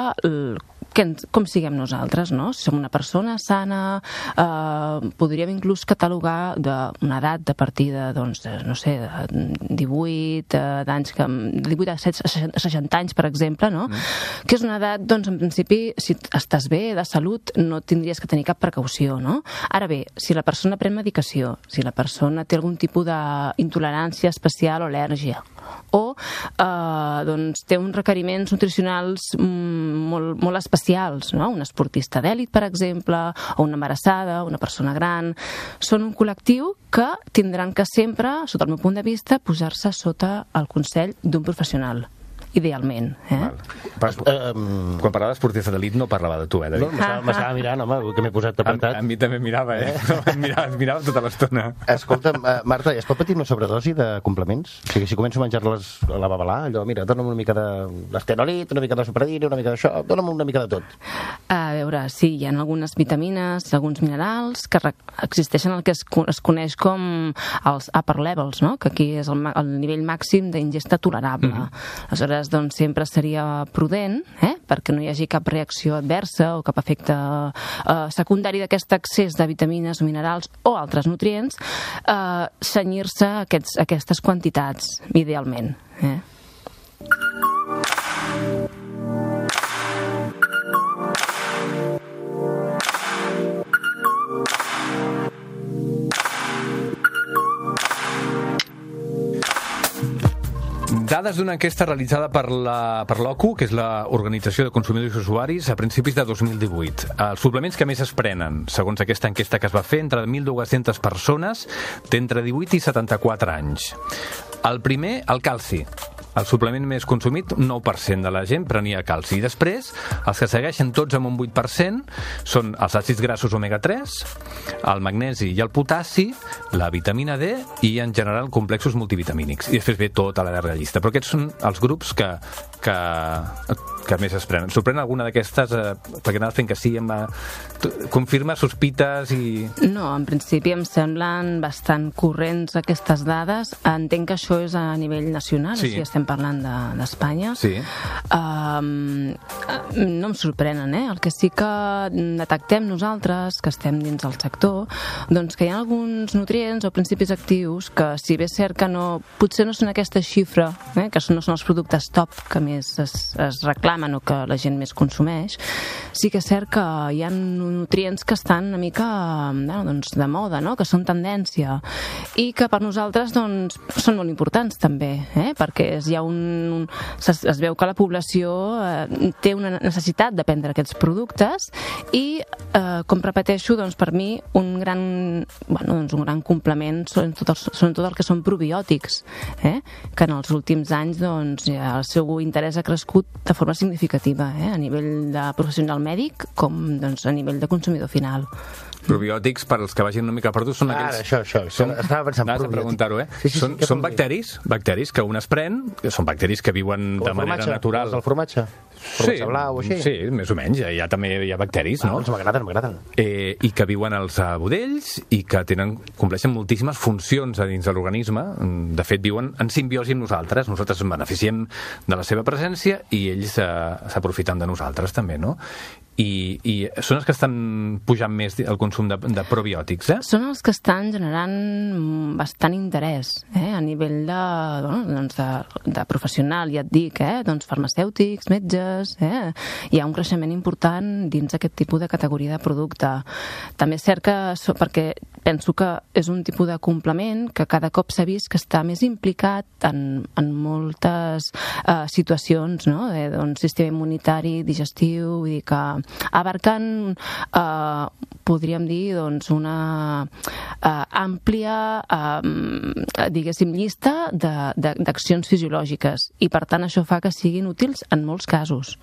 F: com siguem nosaltres, no? Si som una persona sana, podríem inclús catalogar d'una edat de partida, doncs, no sé, 18 d'anys, 18 a 60 anys, per exemple, no? Que és una edat, doncs, en principi, si estàs bé, de salut, no tindries que tenir cap precaució, no? Ara bé, si la persona pren medicació, si la persona té algun tipus d'intolerància especial o al·lèrgia, o doncs, té uns requeriments nutricionals molt especials, no? Un esportista d'èlit, per exemple, o una embarassada, una persona gran, són un col·lectiu que tindran que sempre, sota el meu punt de vista, posar-se sota el consell d'un professional. Idealment.
A: Quan parlava d'esportista d'elit no parlava de tu, David?
G: No, m'estava mirant, home, que m'he posat apretat.
A: A mi també mirava, mirava tota l'estona.
G: Escolta, Marta, es pot patir una sobredosi de complements? O sigui, si començo a menjar-les a la babalà, allò, mira, dona'm una mica d'estenolit, una mica de supradina, una mica d'això, dona'm una mica de tot.
F: A veure, sí, hi ha algunes vitamines, alguns minerals que existeixen el que es coneix com els upper levels, no? Que aquí és el nivell màxim d'ingesta tolerable. Aleshores, doncs sempre seria prudent, perquè no hi hagi cap reacció adversa o cap efecte secundari d'aquest excés de vitamines o minerals o altres nutrients, cenyir-se a aquestes quantitats, idealment.
A: Dades d'una enquesta realitzada per l'OCU, que és l'Organització de Consumidors i Usuaris, a principis de 2018. Els suplements que més es prenen, segons aquesta enquesta que es va fer, entre 1.200 persones d'entre 18 i 74 anys. El primer, el calci. el suplement més consumit, 9% de la gent prenia calci. I després, els que segueixen tots amb un 8% són els àcids grassos omega-3, el magnesi i el potassi, la vitamina D i, en general, complexos multivitamínics. I després ve tota la llarga llista. Però aquests són els grups que més es prenen. Sorprèn alguna d'aquestes, perquè anaves fent que sí, confirma sospites i...
F: No, en principi em semblen bastant corrents aquestes dades. Entenc que això és a nivell nacional,
A: sí.
F: O sigui, estem parlant d'Espanya.
A: Sí.
F: No em sorprenen, El que sí que detectem nosaltres, que estem dins del sector, doncs que hi ha alguns nutrients o principis actius que, si bé és cert que potser no són aquesta xifra, que no són els productes top que més es reclamen o que la gent més consumeix, sí que és cert que hi ha nutrients que estan una mica de moda, que són tendència, i que per nosaltres són molt importants també, perquè es veu que la població té una necessitat de prendre aquests productes i, com repeteixo, per mi un gran complement són tot el que són probiòtics, que en els últims anys el seu interès ha crescut de forma significativa, a nivell de professional mèdic com a nivell de consumidor final.
A: Probiòtics, per als que vagin una mica perdut, són aquells...
G: Això. Estava pensant
A: probiòtics. Preguntar-ho,
G: Sí,
A: són bacteris que un es pren, són bacteris que viuen de manera natural.
G: El formatge? Formatge blau, així? Sí,
A: més o menys. També hi ha bacteris, no?
G: Doncs m'agraden.
A: I que viuen als budells i que compleixen moltíssimes funcions a dins de l'organisme. De fet, viuen en simbiosi amb nosaltres. Nosaltres ens beneficiem de la seva presència i ells s'aprofiten de nosaltres també, no? I són els que estan pujant més el consum de probiòtics,
F: Són els que estan generant bastant interès, a nivell de professional, ja et dic, farmacèutics, metges, hi ha un creixement important dins aquest tipus de categoria de producte. També és cert que, perquè penso que és un tipus de complement que cada cop s'ha vist que està més implicat en moltes situacions, d'un sistema immunitari, digestiu, vull dir que abarcant, podríem dir, una àmplia, diguéssim, llista d'accions fisiològiques, i per tant això fa que siguin útils en molts casos.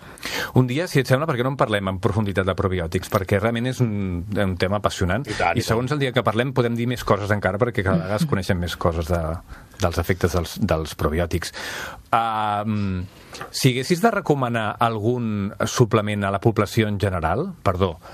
A: Un dia, si et sembla, per què no en parlem en profunditat de probiòtics? Perquè realment és un tema apassionant, i segons el dia que parlem podem dir més coses encara, perquè cada vegada es coneixen més coses dels efectes dels probiòtics. Si haguessis de recomanar algun suplement a la població en general,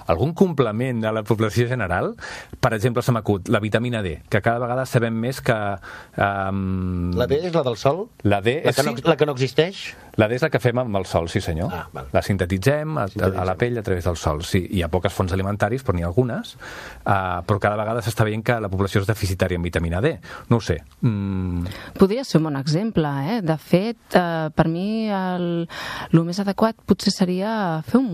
A: algun complement a la població general, per exemple, se m'acut la vitamina D, que cada vegada sabem més que...
G: La D és la del sol?
A: La D és...
G: La que no existeix?
A: La D és la que fem amb el sol, sí senyor. La sintetitzem a la pell a través del sol. Sí, hi ha poques fonts alimentaris, però n'hi ha algunes, però cada vegada s'està veient que la població és deficitària en vitamina D. No ho sé.
F: Podria ser un bon exemple, De fet, per mi el més adequat potser seria fer un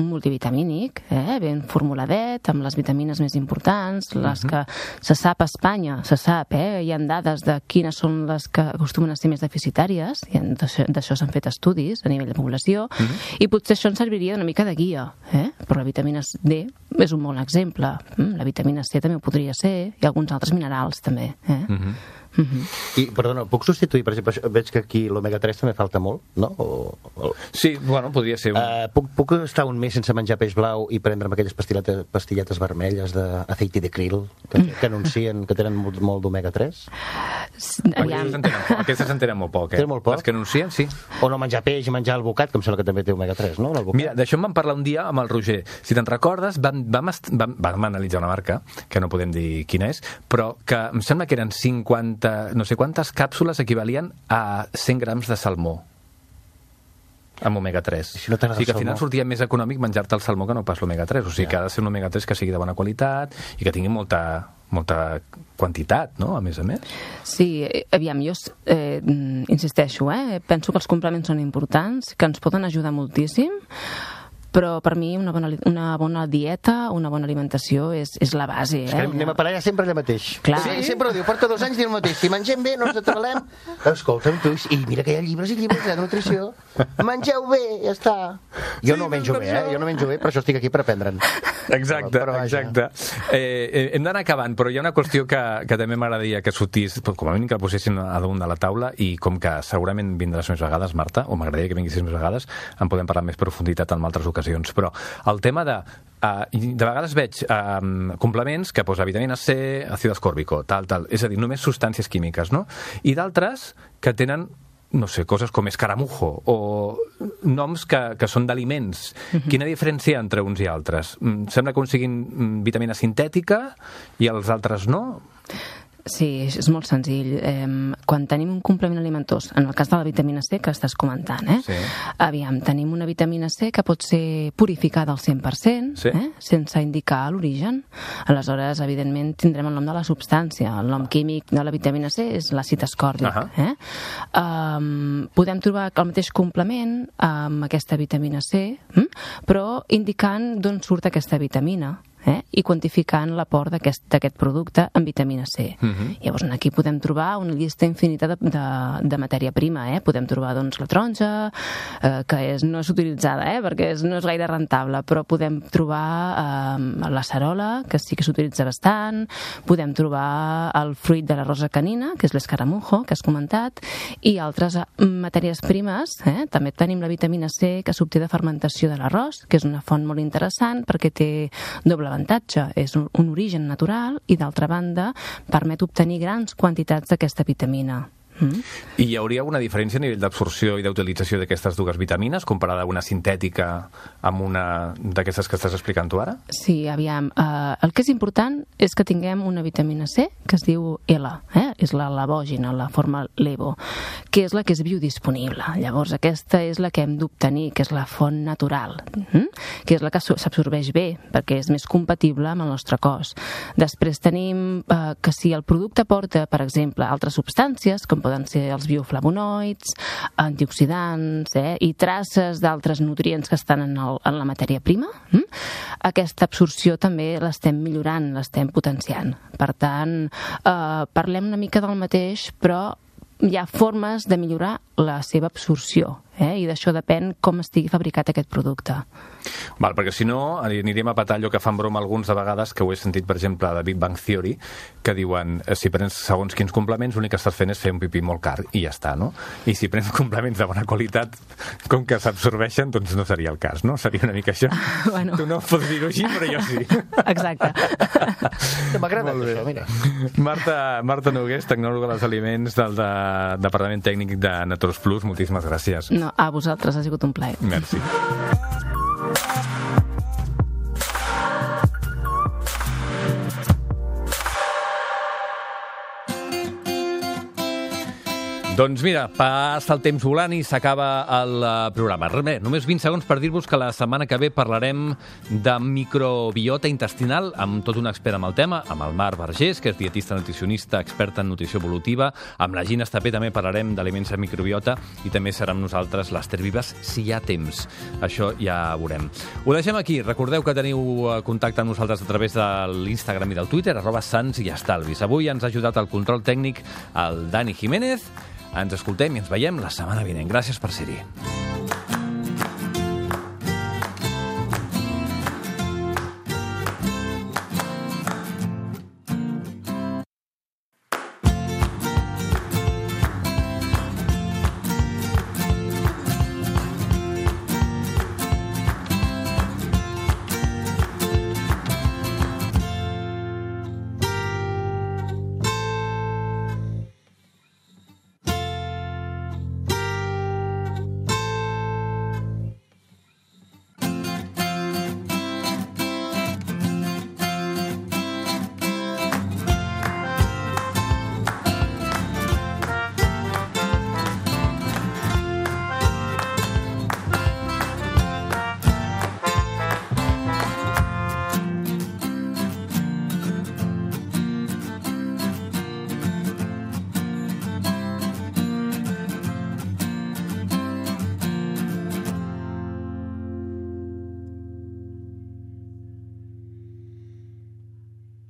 F: multivitamínic, ben formuladet, amb les vitamines més importants, les que se sap a Espanya, hi ha dades de quines són les que acostumen a ser més deficitàries, i d'això s'han fet estudis a nivell de població, i potser això ens serviria una mica de guia, però la vitamina D és un bon exemple. La vitamina C també ho podria ser, i alguns altres minerals també,
G: I, perdona, puc substituir, per exemple, veig que aquí l'omega-3 també falta molt, no?
A: Sí, bueno, podria ser.
G: Puc estar un mes sense menjar peix blau i prendre'm aquelles pastilletes vermelles d'aceite de krill que anuncien que tenen molt d'omega-3?
A: Aquestes en tenen molt poc,
G: Tenen molt poc?
A: Les que anuncien, sí.
G: O no menjar peix i menjar alvocat, que em sembla que també té omega-3, no?
A: Mira, d'això em van parlar un dia amb el Roger. Si te'n recordes, vam analitzar una marca, que no podem dir quina és, però que em sembla que eren 50, no sé quantes càpsules equivalien a 100 grams de salmó amb omega-3.
G: Si no
A: o sigui que al final sortia més econòmic menjar-te el salmó que no pas l'omega-3. O sigui que ha de ser un omega-3 que sigui de bona qualitat i que tingui molta quantitat, no?, a més.
F: Sí, aviam, jo insisteixo, penso que els complements són importants, que ens poden ajudar moltíssim, Però per mi una bona dieta, una bona alimentació és la base.
G: Anem a parar ja sempre allà mateix.
F: Clar.
G: Sí, sempre ho diu, porta 2 anys dient el mateix. Si mengem bé, no ens atrelem. Escolta'm, tu, i mira que hi ha llibres i llibres de nutrició. Mengeu bé, ja està. Jo no menjo bé, jo no menjo bé, per això estic aquí per aprendre'n.
A: Exacte. Hem d'anar acabant, però hi ha una qüestió que també m'agradaria que sortís, com a mínim que la posessin a damunt de la taula, i com que segurament vindràs més vegades, Marta, o m'agradaria que vinguessis més vegades, en podem parlar amb més profunditat en altres ocasions. Però el tema de vegades veig complements que posa vitamina C, àcid ascòrbic, tal, és a dir, només substàncies químiques, no? I d'altres que tenen, no sé, coses com escaramujo o noms que són d'aliments. Quina diferència entre uns i altres? Sembla que uns siguin vitamina sintètica i els altres no?
F: Sí, és molt senzill. Quan tenim un complement alimentós, en el cas de la vitamina C que estàs comentant,
A: Sí.
F: Aviam, tenim una vitamina C que pot ser purificada al 100%,
A: Sí.
F: Sense indicar l'origen. Aleshores, evidentment, tindrem el nom de la substància. El nom químic de la vitamina C és l'àcid ascòrbic. Podem trobar el mateix complement amb aquesta vitamina C, però indicant d'on surt aquesta vitamina. I quantificant l'aport d'aquest producte en vitamina C. Llavors, aquí podem trobar una llista infinita de matèria prima. Podem trobar doncs, la taronja, que no és utilitzada, perquè no és gaire rentable, però podem trobar la cerola, que sí que s'utilitza bastant, podem trobar el fruit de la rosa canina, que és l'escaramujo, que has comentat, i altres matèries primes. També tenim la vitamina C, que s'obté de fermentació de l'arròs, que és una font molt interessant perquè té doble avantatge, és un origen natural i d'altra banda permet obtenir grans quantitats d'aquesta vitamina.
A: I hi hauria una diferència a nivell d'absorció i d'utilització d'aquestes dues vitamines comparada a una sintètica amb una d'aquestes que estàs explicant tu ara?
F: Sí, aviam. El que és important és que tinguem una vitamina C que es diu L, és la levògina, la forma levo, que és la que és biodisponible. Llavors, aquesta és la que hem d'obtenir, que és la font natural, que és la que s'absorbeix bé, perquè és més compatible amb el nostre cos. Després tenim que si el producte porta, per exemple, altres substàncies, com poden ser els bioflavonoids, antioxidants i traces d'altres nutrients que estan en la matèria prima, aquesta absorció també l'estem millorant, l'estem potenciant. Per tant, parlem una mica del mateix, però hi ha formes de millorar la seva absorció, i d'això depèn com estigui fabricat aquest producte.
A: Val, perquè si no aniríem a petar allò que fan broma alguns de vegades, que ho he sentit, per exemple, de Big Bang Theory, que diuen, si prens segons quins complements, l'únic que estàs fent és fer un pipí molt car, i ja està, no? I si prens complements de bona qualitat, com que s'absorbeixen, doncs no seria el cas, no? Seria una mica això.
F: Bueno.
A: Tu no pots dir-ho així, però jo sí.
F: Exacte.
G: M'agrada això, mira.
A: Marta Nogués, tecnòloga dels aliments del Departament Tècnic de Naturals Plus, moltíssimes gràcies.
F: No, a vosaltres, ha sigut un plaer.
A: Merci. Doncs mira, passa el temps volant i s'acaba el programa. Res, només 20 segons per dir-vos que la setmana que ve parlarem de microbiota intestinal amb tot un expert amb el tema, amb el Marc Vergés, que és dietista nutricionista, experta en nutrició evolutiva. Amb la Gina Estapé també parlarem d'aliments de microbiota i també serà amb nosaltres l'Ester Vives, si hi ha temps. Això ja veurem. Ho deixem aquí. Recordeu que teniu contacte amb nosaltres a través de l'Instagram i del Twitter, @sants-i-estalvis. Avui ens ha ajudat el control tècnic el Dani Jiménez. Ens escoltem i ens veiem la setmana vinent. Gràcies per ser-hi.